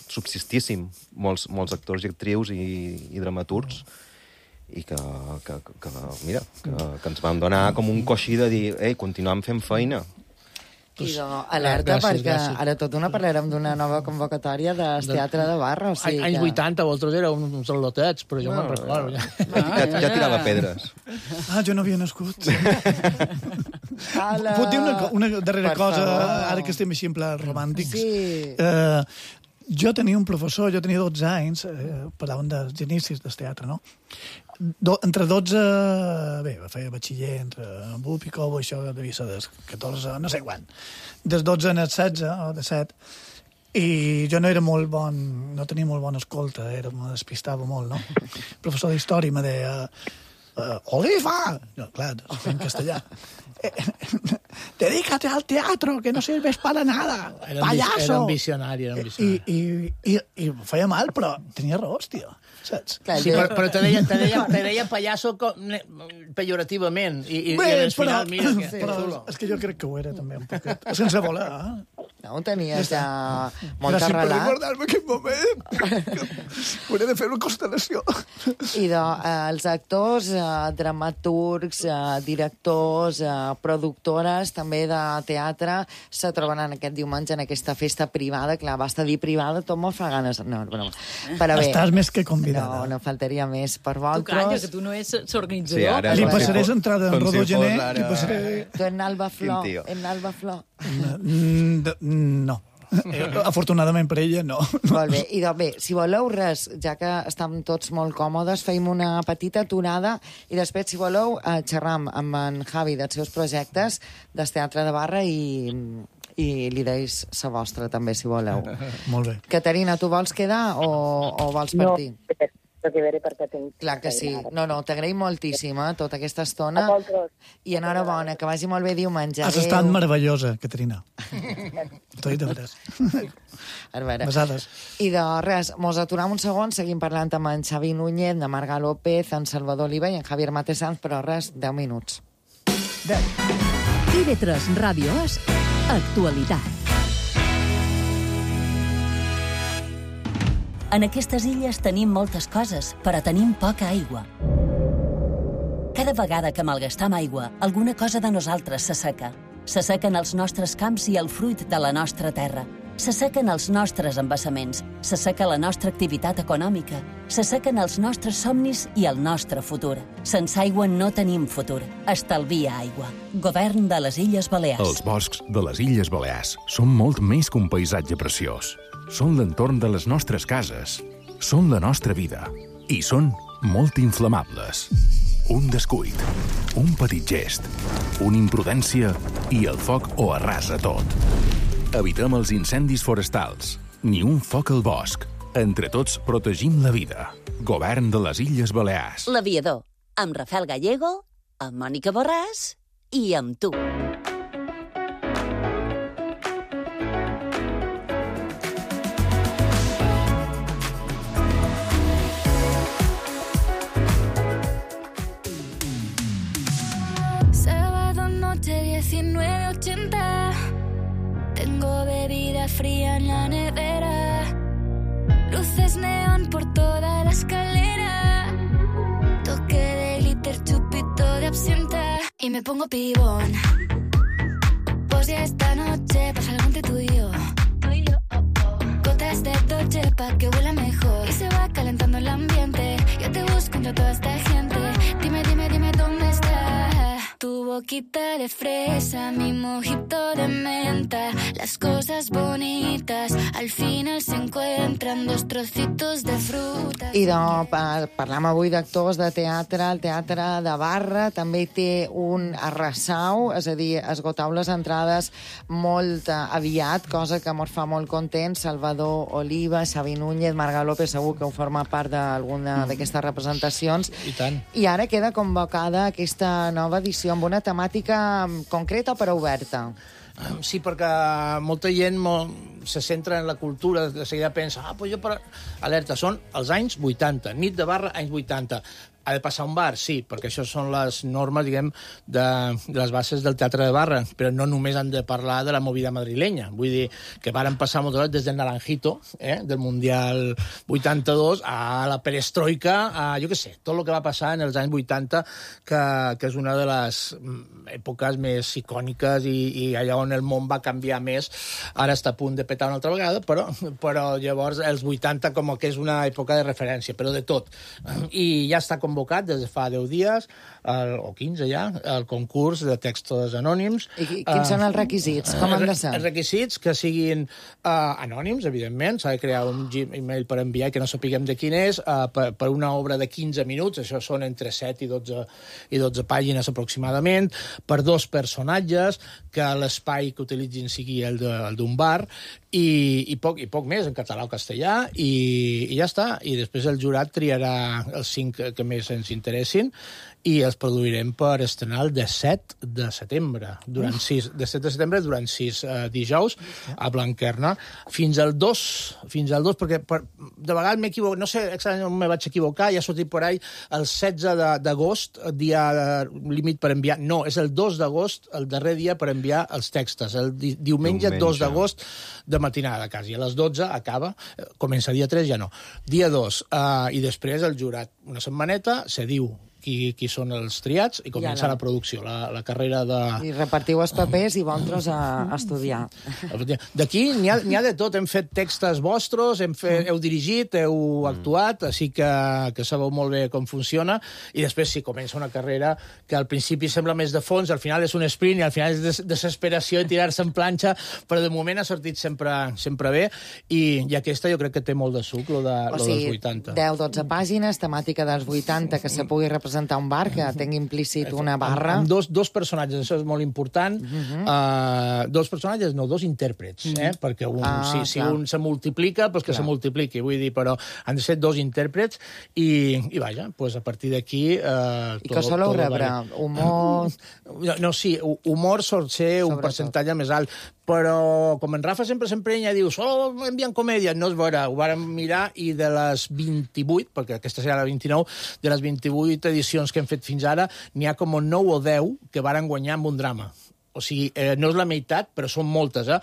subsistíssim molts, molts actors i actrius i, i dramaturgs i que, que, que mira, que, que ens van donar com un coixí de dir, ei, continuem fent feina. I de, alerta, gràcies, perquè gràcies. ara tot una parlarem d'una nova convocatòria del teatre de barra. O sigui Anys que... vuitanta, vosaltres éreu uns al·lotets, però jo no, me'n recordo. Ja. Ja, ja tirava pedres. Ah, jo no havia nascut. Ala... Puc dir una, una darrera Per cosa, favor. ara que estem així en pla romàntics? Sí. Eh, jo tenia un professor, jo tenia dotze anys, eh, parlàvem dels inicis del teatre, no? Do, entre dotze... Bé, feia batxiller entre Bup i Cobo, això devia ser dels catorze, no sé quan. Des dotze en els setze, o de set. I jo no era molt bon, no tenia molt bona escolta, era, me despistava molt, no? El professor d'història me deia, uh, Oliva! No, clar, en castellà. Dedícate al teatro, que no sirves para nada, Era un, payaso! era un visionari, era un visionari. I, i, i, i em feia mal, però tenia raons, tio. Saps? Sí, però, però te deia, te deia, te deia pallasso com, ne, pejorativament. I, i, Bé, i al però, final, mira, que, sí, que però xulo. és que jo crec que ho era, també, un poquet. Sense voler, eh? No, tenies ja molt Gràcies per arrelat. recordar-me aquest moment. Hauré de fer una constel·lació. I de, eh, els actors, eh, dramaturgs, eh, directors, eh, productores, també de teatre, se trobaran aquest diumenge en aquesta festa privada. Clar, basta dir privada, tot me'n fa ganes. No, no, però bé. Estàs més que convidada. No, no faltaria més per Tu calla, vosaltres. que tu no ets l'organitzador. Sí, ara, Li com si passaré fos- entrada en com si Rodó fos Gené, ara- li passaré... Tu en Alba Flor, Quin tio. en Alba Flor. Mm, de- No. Eh, Afortunadament per ella, no. Molt bé, i doncs bé, si voleu res, ja que estem tots molt còmodes, feim una petita aturada i després, si voleu, eh, xerram amb en Javi dels seus projectes del Teatre de Barra i, i li deis la vostra també, si voleu. Molt bé. Caterina, tu vols quedar o, o vols partir? No, perquè veré perquè tinc... Clar que sí. No, no, t'agraïm moltíssim, eh, tota aquesta estona. A vosaltres. I enhorabona, que vagi molt bé diumenge. Has Adéu. estat meravellosa, Caterina. T'ho he dit de veres. A veure. Besades. I de res, mos aturam un segon, seguim parlant amb en Xavi Núñez, de Marga López, en Salvador Oliva i en Javier Matesanz, però res, deu minuts. I V tres Ràdio és actualitat. En aquestes illes tenim moltes coses, però tenim poca aigua. Cada vegada que malgastam aigua, alguna cosa de nosaltres s'asseca. S'assequen els nostres camps i el fruit de la nostra terra. S'assequen els nostres embassaments, s'asseca la nostra activitat econòmica, s'assequen els nostres somnis i el nostre futur. Sense aigua no tenim futur. Estalvia aigua. Govern de les Illes Balears. Els boscs de les Illes Balears són molt més que un paisatge preciós. Són l'entorn de les nostres cases. Són la nostra vida. I són molt inflamables. Un descuit, un petit gest, una imprudència i el foc ho arrasa tot. Evitem els incendis forestals. Ni un foc al bosc. Entre tots protegim la vida. Govern de les Illes Balears. L'Aviador, amb Rafael Gallego, amb Mònica Borràs i amb tu. Sábado noche diecinueve ochenta. Tengo bebida fría en la nevera. Luces neón por toda la escalera. Toque de glitter, chupito de absenta. Y me pongo pibón. Pues ya esta noche pasa algo entre tú y yo. Gotas de Dolce pa' que huela mejor. Y se va calentando el ambiente. Yo te busco entre toda esta gente. Dime, dime, dime dónde está. Tu boquita de fresa, mi mojito de menta. Las cosas bonitas al final se encuentran dos trocitos de fruta. I de, pa, parlam avui d'actors de teatre. El Teatre de Barra també té un arrasau, és a dir, esgotau les entrades molt eh, aviat, cosa que mos fa molt contents. Salvador Oliva, Xavi Núñez, Marga López, segur que ho forma part d'alguna d'aquestes representacions. I tant. I ara queda convocada aquesta nova edició amb una temàtica concreta però oberta. Sí, perquè molta gent molt se centra en la cultura, de seguida pensa, ah, pues jo per... Alerta, són els anys vuitanta, nit de Barra, anys vuitanta. Ha de passar un bar, sí, perquè això són les normes, diguem, de, de les bases del Teatre de Barra, però no només han de parlar de la movida madrilenya. Vull dir que varen passar moltes hores des del Naranjito, eh, del Mundial vuitanta-dos, a la perestroika, a, jo què sé, tot el que va passar en els anys vuitanta, que, que és una de les èpoques més icòniques i, i allà on el món va canviar més. Ara està a punt de petar una altra vegada, però, però llavors els vuitanta com que és una època de referència, però de tot. I ja està com convocat des de fa deu dies, el, o quinze ja, el concurs de textos anònims. I quins uh, són els requisits? Com han de ser? Els requisits que siguin uh, anònims, evidentment. S'ha de crear un Gmail per enviar que no sapiguem de quin és, uh, per, per una obra de quinze minuts, això són entre set i dotze, i dotze pàgines aproximadament, per dos personatges, que l'espai que utilitzin sigui el d'un bar, i, i, poc, i poc més, en català o castellà, i, i ja està. I després el jurat triarà els cinc que, que més ens interessin, i els produirem per estrenar el disset de setembre, durant sis, disset de setembre durant sis uh, dijous, a Blanquerna, fins al dos, fins al dos, perquè per, de vegades m'he equivocat, no sé exactament on me vaig equivocar, ja ha sortit per ahí el setze d'agost, dia límit per enviar, no, és el dos d'agost, el darrer dia per enviar els textos, el di diumenge, diumenge dos d'agost, de matinada, quasi, a les dotze acaba, comença dia tres, ja no, dia dos, uh, i després el jurat una setmaneta, se diu Qui, qui són els triats, i comença la producció, la, la carrera de... I repartiu els papers i vosaltres a, a estudiar. D'aquí n'hi ha, ha de tot. Hem fet textos vostres, hem fet, heu dirigit, heu actuat, així que, que sabeu molt bé com funciona, i després sí, comença una carrera que al principi sembla més de fons, al final és un sprint, i al final és des desesperació i tirar-se en planxa, però de moment ha sortit sempre, sempre bé, i, i aquesta jo crec que té molt de suc, lo, de, o lo sigui, dels vuitanta. deu dotze pàgines, temàtica dels vuitanta, que se pugui representar un bar, que tingui implícit una barra. Amb, amb dos, dos personatges, això és molt important. Uh -huh. uh, dos personatges, no, dos intèrprets, uh -huh. eh? Perquè un, ah, si, si un se multiplica, doncs que clar. se multipliqui, vull dir, però han de ser dos intèrprets, i, i vaja, pues a partir d'aquí... Uh, I que soleu rebre? Humor... No, no, sí, humor sol ser un percentatge més alt, però com en Rafa sempre s'emprenya, diu, solo envien comèdia, no és vera, ho vàrem mirar, i de les vint-i-vuit, perquè aquesta serà la vint-i-nou, de les vint-i-vuit edicions que hem fet fins ara, n'hi ha com nou o deu que varen guanyar amb un drama. O sigui, eh, no és la meitat, però són moltes, eh?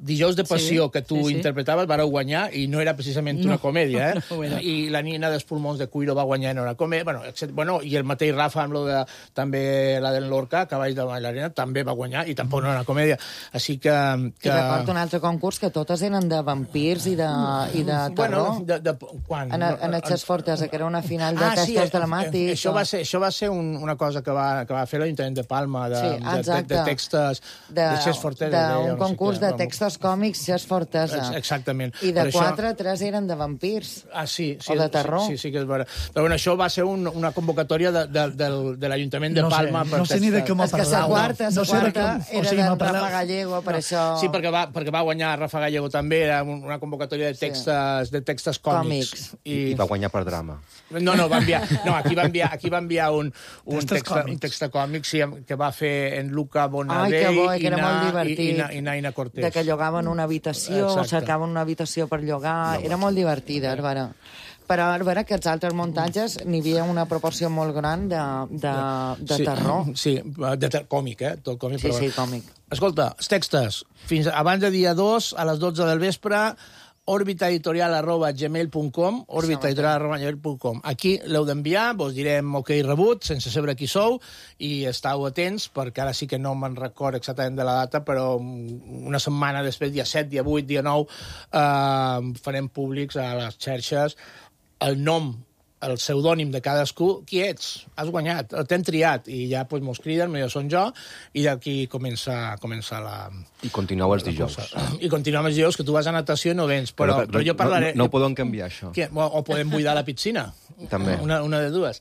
Dijous de Passió, sí, que tu sí, sí. interpretaves, vareu guanyar, i no era precisament no, una comèdia, eh? No, no, I la Nina dels pulmons de Cuiro va guanyar en una comèdia, bueno, excepte, bueno, i el mateix Rafa, amb lo de, també la del Lorca, Cavalls de Bailarina, també va guanyar, i tampoc no era una comèdia. Així que... que... I recordo un altre concurs que totes eren de vampirs i de, i de terror. Bueno, de, de, quan? En, en Etxes Fortesa, que era una final de ah, textos sí, dramàtics. Això, o... va ser, això va ser un, una cosa que va, que va fer l'Ajuntament de Palma, de, sí, de, de, de textos... De, de, Fortesa, de un concurs no sé què, de textos còmics, Xes Fortesa. Exactament. I de quatre, això... tres eren de vampirs. Ah, sí. sí o de terror. Sí, sí, sí que és vera. Però bueno, això va ser un, una convocatòria de, de, de, de l'Ajuntament de no Palma. Sé, per no sé ni de què m'ha parlat. És que la quarta, no, no sé quarta com, era o sigui, d'en Rafa Gallego, per no. això... Sí, perquè va, perquè va guanyar Rafa Gallego també, era una convocatòria de textos, sí. de textos còmics. còmics. I... I va guanyar per drama. No, no, va enviar, no aquí va enviar, aquí va enviar un, un, text, un text còmic sí, que va fer en Luca Bonadell Ai, bo, i, era na, molt i, i, i Naina Cortés. De que llogaven una habitació, Exacte. cercaven una habitació per llogar... No, era molt divertida, Arbara. Però és vera que els altres muntatges n'hi havia una proporció molt gran de, de, de sí, terror. Sí, de ter còmic, eh? Tot còmic, sí, però... sí, còmic. Escolta, els textos, fins abans de dia dos, a les dotze del vespre, orbitaeditorial arroba gmail punt com, orbitaeditorial arroba gmail punt com. Aquí l'heu d'enviar, vos direm ok rebut, sense saber qui sou, i estàu atents, perquè ara sí que no me'n record exactament de la data, però una setmana després, dia set, dia vuit, dia nou, eh, farem públics a les xarxes el nom, el pseudònim de cadascú, qui ets? Has guanyat, t'hem triat, i ja pues, mos criden, jo són jo, i d'aquí comença, comença la... I continueu els dijous. I continuem els dijous, que tu vas a natació i no vens, però, però, però jo parlaré... No, no podem canviar, això. Que, o, o podem buidar la piscina. També. Una, una de dues.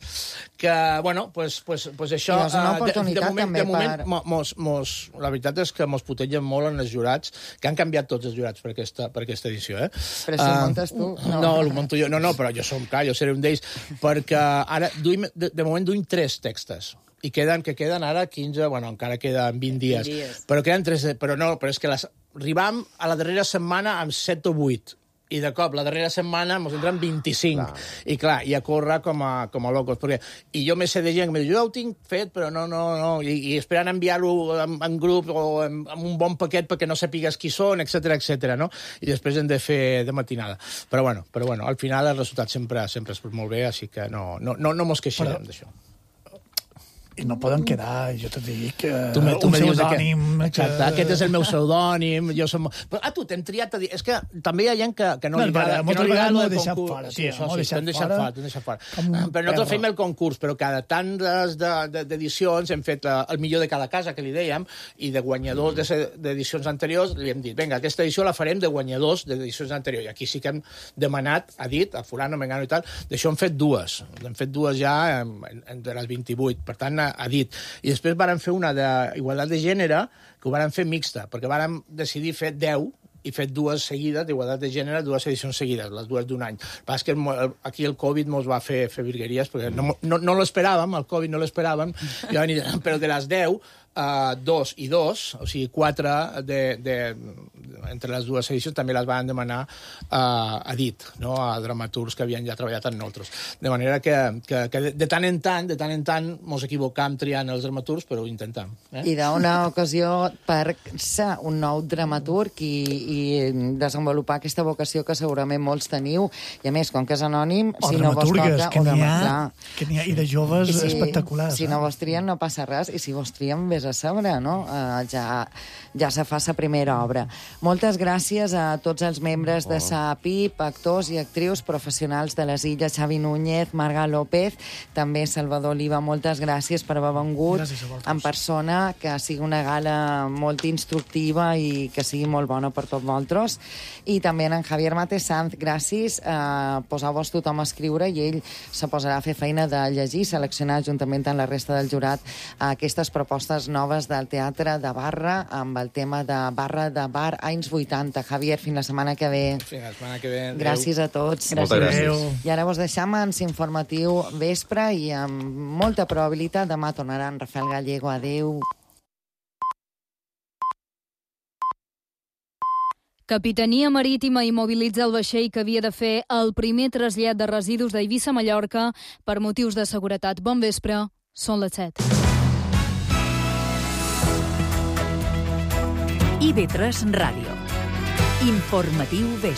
Que, bueno, pues, pues, pues això... I és una oportunitat, de, de moment, també, de moment, per... mos, mos, la veritat és que mos putegen molt en els jurats, que han canviat tots els jurats per aquesta, per aquesta edició, eh? Però si uh, ho muntes tu... No, no ho munto jo. No, no, però jo som, clar, jo seré un d'ells, perquè ara, duim, de, de moment, duim tres textos. I queden, que queden ara quinze, bueno, encara queden vint dies. vint dies. Però queden tres, però no, però és que les, arribam a la darrera setmana amb set o vuit. I de cop, la darrera setmana ens entren vint-i-cinc. Clar. I clar, i a córrer com a, com a locos. Perquè, i jo me sé de gent que me diu, jo ja ho tinc fet, però no, no, no. I, i esperant enviar-ho en, en grup o en, en un bon paquet perquè no sapigues qui són, etcètera, etcètera, no? I després hem de fer de matinada. Però bueno, però bueno, al final el resultat sempre sempre és molt bé, així que no, no, no, no mos queixarem d'això. i no poden quedar, jo te dic, uh, tu me, tu un me dius pseudònim... Que... Exacte, que... aquest és el meu pseudònim, jo som... Però, ah, tu, t'hem triat a dir... És que també hi ha gent que, que no, no li agrada... Moltes no vegades m'ho he deixat concurs. fora, Sí, tio, això m'ho sí, deixat t'hem deixat fora. fora, t'hem deixat fora. Però nosaltres fem el concurs, però cada tant d'edicions hem fet el millor de cada casa, que li dèiem, i de guanyadors d'edicions anteriors li hem dit, vinga, aquesta edició la farem de guanyadors d'edicions anteriors. I aquí sí que hem demanat, ha dit, a fulano, mengano i tal, d'això hem fet dues. Hem fet dues ja de les vint-i-vuit, per tant, ha dit. I després vàrem fer una d'igualtat de gènere, que ho vàrem fer mixta, perquè vàrem decidir fer deu i fet dues seguides d'igualtat de gènere, dues edicions seguides, les dues d'un any. Però és que aquí el Covid mos va fer, fer virgueries, perquè no, no, no l'esperàvem, el Covid no l'esperàvem, però de les deu, Uh, dos i dos, o sigui, quatre de, de, entre les dues edicions també les van demanar uh, a dit, no? A dramaturgs que havien ja treballat amb nosaltres. De manera que, que, que de, de tant en tant, de tant en tant, mos equivocam triant els dramaturgs, però ho intentem. Eh? I d'una ocasió per ser un nou dramaturg i, i desenvolupar aquesta vocació que segurament molts teniu, i a més, com que és anònim, o si no vos toca... que n'hi ha, clar. que n'hi ha, i de joves si, espectaculars. Si eh? no vos trien no passa res, i si vos trien vés a saber, no? Uh, ja, ja se fa sa primera obra. Moltes gràcies a tots els membres de sa P I P, actors i actrius professionals de les Illes, Xavi Núñez, Marga López, també Salvador Oliva, moltes gràcies per haver vengut en persona, que sigui una gala molt instructiva i que sigui molt bona per tots vosaltres. I també en Javier Mate Sanz, gràcies, uh, posar-vos tothom a escriure i ell se posarà a fer feina de llegir, seleccionar juntament amb la resta del jurat aquestes propostes noves del teatre de Barra amb el tema de Barra de Bar anys vuitanta. Javier, fins la setmana que ve. Fins la setmana que ve. Gràcies a tots. Moltes gràcies. I ara vos deixam en informatiu vespre i amb molta probabilitat demà tornaran Rafael Gallego. Adéu. Capitania Marítima immobilitza el vaixell que havia de fer el primer trasllat de residus d'Eivissa a Mallorca per motius de seguretat. Bon vespre, són les set. I V tres Ràdio. Informatiu vespre.